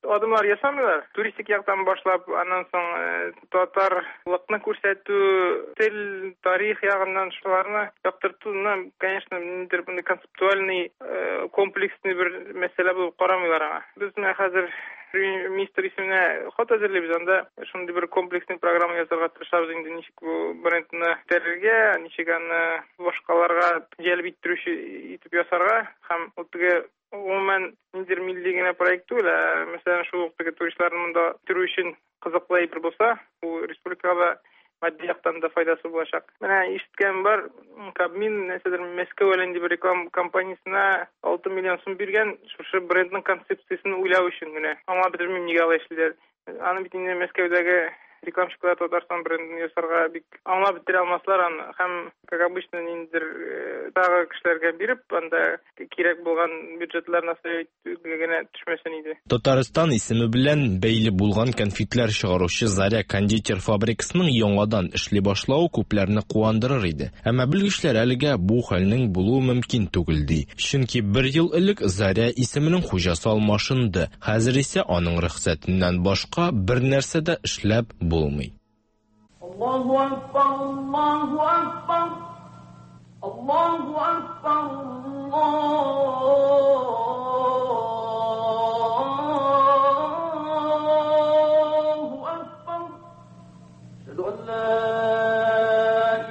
адымнар ясамыйлар. Туристик яктан башлап, аннан соң татарлыкны күрсәтү, тел, тарих ягыннан шуларны яктыртуны, конечно, ниндидер концептуальный, комплексный бер мәсьәлә булып карамыйлар аңа. Без менә хәзер министр исеменә хат әзерлибез, анда шундый бер комплексный программа ясарга тырышабыз инде, ничек бу брендны күтәрергә, ничек аны башкаларга җәлеп иттерүче итеп ясарга һәм ул теге гомумән ниндидер милли генә проект түгел, ә мәсәлән, шул ук теге туристларны монда китерү өчен кызыклы әйбер булса, бу республикага матди яктан да файдасы булачак. Менә ишеткән бар, Кабмин нәрсәдер Мәскәү әле инде бер реклама компаниясенә алты миллион сум биргән, шушы брендның концепциясен уйлау өчен генә. Аңлап бетермим, нигә алай эшлиләр. Аны бит инде Мәскәүдәге рекламщиклар Татарстан брендын ясарга бик аңлап бетерә алмаслар аны. Һәм, как обычно, ниндидер тагы кешеләргә биреп, анда кирәк булган бюджетларны генә төшмәсен иде. Татарстан исеме белән бәйле булган конфетлар чыгаручы Заря кондитер фабрикасының яңадан эшли башлавы күпләрне куандырыр иде. Әмма белгечләр әлегә бу хәлнең булуы мөмкин түгел ди. Чөнки бер ел элек Заря исеменең хуҗасы алмашынды. Хәзер исә аның рөхсәтеннән башка бер нәрсә дә эшләп булмый. Аллаһу акбар, Аллаһу акбар, Аллаһу акбар, Аллаһу акбар. Әшһәду ан ла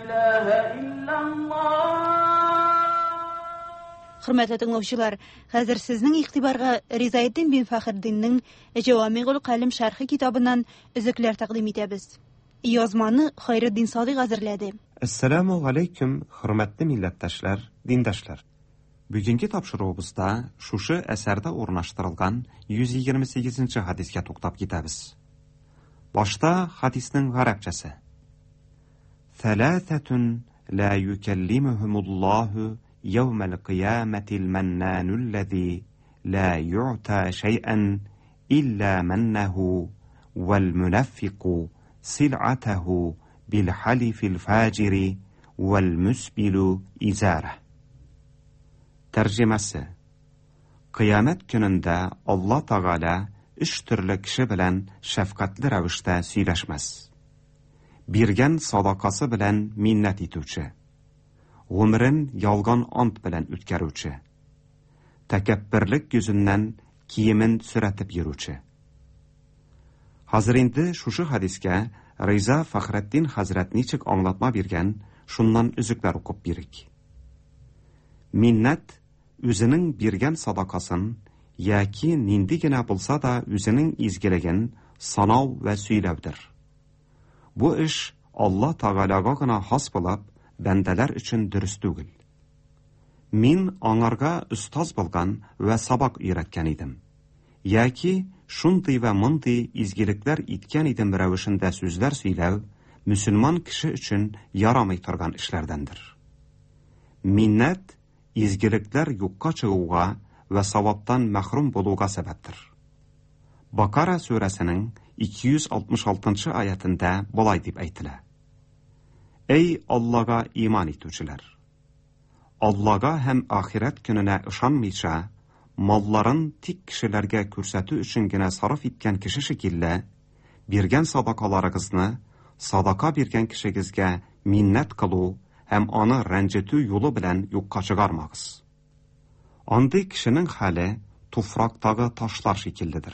илаһа иллаллаһ. Хөрмәтле тыңлаучылар, хәзер сезнең игътибарга Ризаэддин бин Фәхреддиннең Җавамигул Калим шәрхе китабыннан өзекләр тәкъдим итәбез. Язманы Хайретдин Садыйк әзерләде. Әссәламу алейкум, хөрмәтле милләттәшләр, диндашлар. Бүгенге тапшыруыбызда шушы әсәрдә урнаштырылган йөз егерме сигезенче хадискә туктап китәбез. Башта хадисның гарәпчәсе. Thalathatun la yukallimuhumullahu yawmal qiyamati al-mannanu alladhi la yu'ta shay'an illa mannahu wal munafiqu sil'atahu bil halifil fajiri wal musbilu izara. Тәрҗемәсе: Кыямәт көнендә Алла Тәгалә өч төрле кеше белән шәфкатьле рәвештә сөйләшмәс. Биргән садакасы белән миннәт итүче, гомерен ялган ант белән үткәрүче, Тәкәбберлек йөзеннән киемен сөрәтеп йөрүче. Хәзер инде шушы хәдискә Риза Фәхретдин хәзрәт ничек аңлатма биргән, шуннан өзекләр укып бирик. Миннәт үзенең биргән садакасын яки нинди генә булса да үзенең изгелеген санау вә сөйләүдер. Бу эш Алла Тәгаләгә гына хас булып, бәндәләр өчен дөрес түгел. Мин аңарга остаз булган вә сабак өйрәткән идем. Яки шундый вә мондый изгелекләр иткән идем рәвешендә сүзләр сөйләү мөселман кеше өчен ярамый торган эшләрдәндер. Миннәт изгелекләр юкка чыгуга вә саваптан мәхрүм булуга сәбәптер. Бакара сүрәсенең ике йөз алтмыш алтынчы аятында болай дип әйтелә: Эй Аллага иман итүчеләр! Аллага һәм ахирәт көненә ышанмыйча, малларын тик кешеләргә күрсәтү өчен генә сарыф иткән кеше шикелле, биргән садакаларыгызны садака биргән кешегезгә миннәт кылу һәм аны рәнҗетү юлы белән юкка чыгармагыз. Андый кешенең хәле туфрактагы ташлар шикелледер.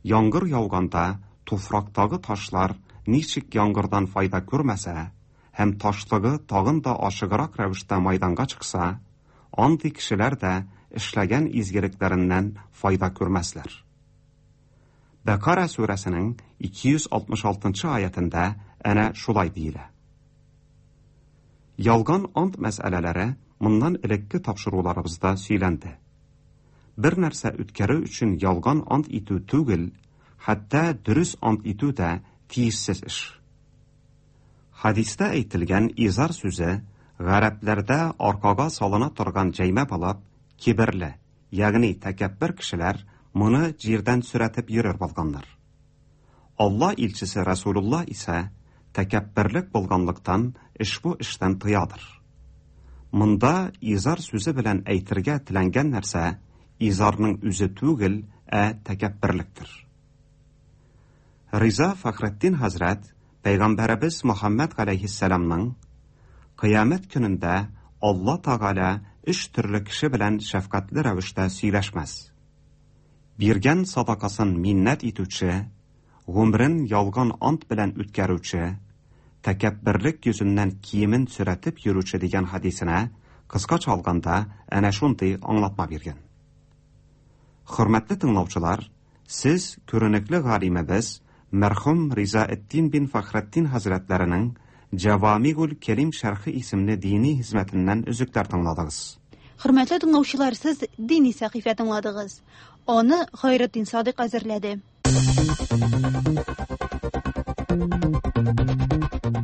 Яңгыр яуганда туфрактагы ташлар ничек яңгырдан файда күрмәсә һәм ташлыгы тагын да ашыграк рәвештә майданга чыкса, андый кешеләр дә эшләгән изгелекләреннән файда күрмәсләр. Бәкара сүрәсенең ике йөз алтмыш алтынчы аятында әнә шулай диелә. Ялган ант мәсьәләләре моннан элекке тапшыруларыбызда сөйләнде. Бер нәрсә үткәрү өчен ялган ант итү түгел, хәтта дөрес ант итү дә тиешсез эш. Хадистә әйтелгән изар сүзе гарәпләрдә аркага салына торган җәймә булып, киберле, ягъни тәкәббер кешеләр моны җирдән сөрәтеп йөрер булганнар. Алла илчесе Расулулла исә тәкәбберлек булганлыктан ошбу эштән тыядыр. Монда изар сүзе белән әйтергә теләнгән нәрсә изарның үзе түгел, ә тәкәбберлектер. Риза Фәхретдин хәзрәт Пәйгамбәребез Мөхәммәд галәйһиссәламның Кыямәт көнендә Алла Тәгалә өч төрле кеше белән шәфкатьле рәвештә сөйләшмәс. Биргән садакасын миннәт итүче, гомерен ялган ант белән үткәрүче, тәкәбберлек йөзеннән киемен сөрәтеп йөрүче дигән хәдисенә кыскача алганда әнә шундый аңлатма биргән. Хөрмәтле тыңлаучылар, сез күренекле галимебез мәрхүм Ризаэддин бин Фәхретдин хәзрәтләренең Җавамигул Кәрим шәрхе исемле дини хезмәтеннән өзекләр тыңладыгыз. Хөрмәтле тыңлаучылар, сез дини сәхифә тыңладыгыз. Аны Хайретдин Садык әзерләде.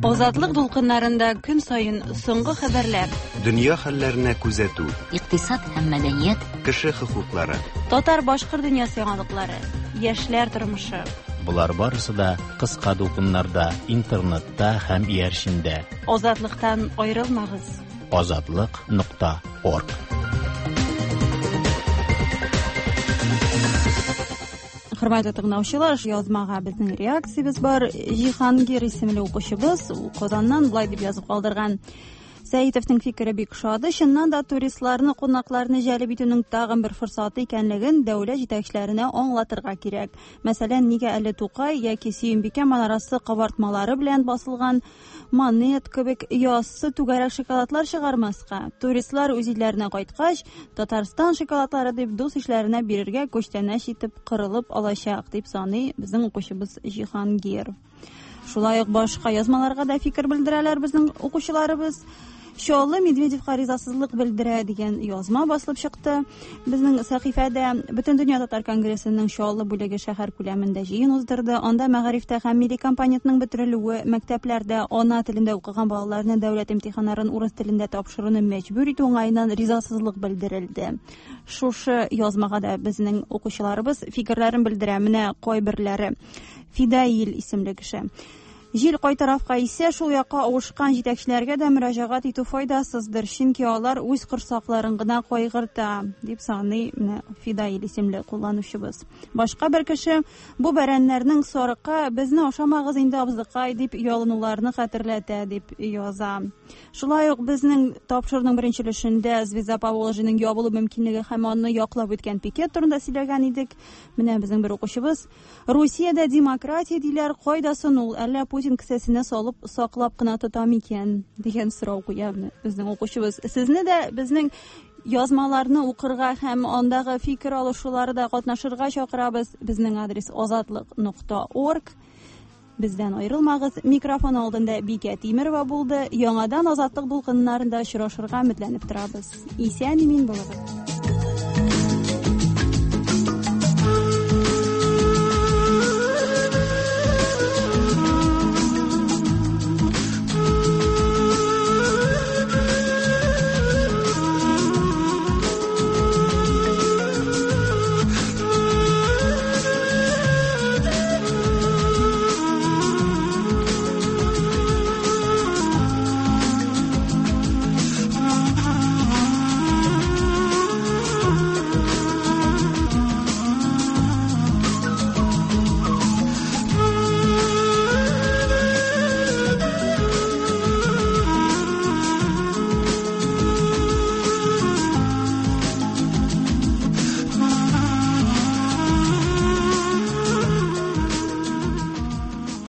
Азатлык дулкыннарында көн саен соңгы хәбәрләр, дөнья хәлләренә күзәтү, икътисад һәм мәдәният, кеше хокуклары, татар-башкорт дөньясы яңалыклары, яшьләр тормышы. Болар барысы да кыска дулкыннарда, интернетта һәм иярчендә. Азатлыктан аерылмагыз. Азатлык нокта орг. Хөрмәтле тыңлаучылар, язмага безнең реакциябез бар. Җиһангир исемле укучыбыз Казаннан болай дип язып калдырган. Сәитовның фикере бик ошады. Чыннан да туристларны, кунакларны җәлеп итүнең тагын бер форсаты икәнлеген дәүләт җитәкчеләренә аңлатырга кирәк. Мәсәлән, нигә әле Тукай яки Сөембикә манарасы кабартмалары белән басылган монет кебек яссы түгәрәк шоколадлар чыгармаска? Туристлар үз илләренә кайткач, Татарстан шоколадлары дип дус ишләренә бирергә күчтәнәч итеп кырылып алачак, дип саный безнең укучыбыз Җиһангир. Шулай ук башка язмаларга да фикер белдерәләр безнең укучыларыбыз. Чаллы Медведевка ризасызлык белдерә дигән язма басылып чыкты. Безнең сәхифәдә Бөтендөнья татар конгрессының Чаллы бүлеге шәһәр күләмендә җыен уздырды. Анда мәгарифтә һәм милли компонентның бетерелүе, мәктәпләрдә ана телендә укыган балаларны дәүләт имтиханнарын урыс телендә тапшыруны мәҗбүр итү уңаеннан ризасызлык белдерелде. Шушы язмага да безнең укучыларыбыз фикерләрен белдерә. Менә кайберләре. Фидаил исемле кеше. Җил кай тарафка исә, шул якка авышкан җитәкчеләргә дә мөрәҗәгать итү файдасыздыр, чөнки алар үз корсакларын гына кайгырта, дип саный менә Фидаил исемле кулланучыбыз. Башка бер кеше бу бәрәннәрнең сарыкка безне ашамагыз инде абзыкай дип ялынуларны хәтерләтә дип яза. Шулай ук безнең тапшыруның беренче өлешендә Звезда Поволжьеның ябылу мөмкинлеге һәм аны яклап үткән пикет турында сөйләгән идек. Менә безнең бер укучыбыз: Русиядә демократия диләр, кайда соң ул? Әллә Путин кесәсенә салып саклап кына тота микән дигән сорау куя безнең укучыбыз. Сезне дә безнең язмаларны укырга һәм андагы фикер алышуларда катнашырга чакырабыз. Безнең адрес азатлык нокта орг. Бездән аерылмагыз. Микрофон алдында Бикә Тимерова булды. Яңадан Азатлык дулкыннарында очрашырга өметләнеп торабыз. Исән-имин булыгыз.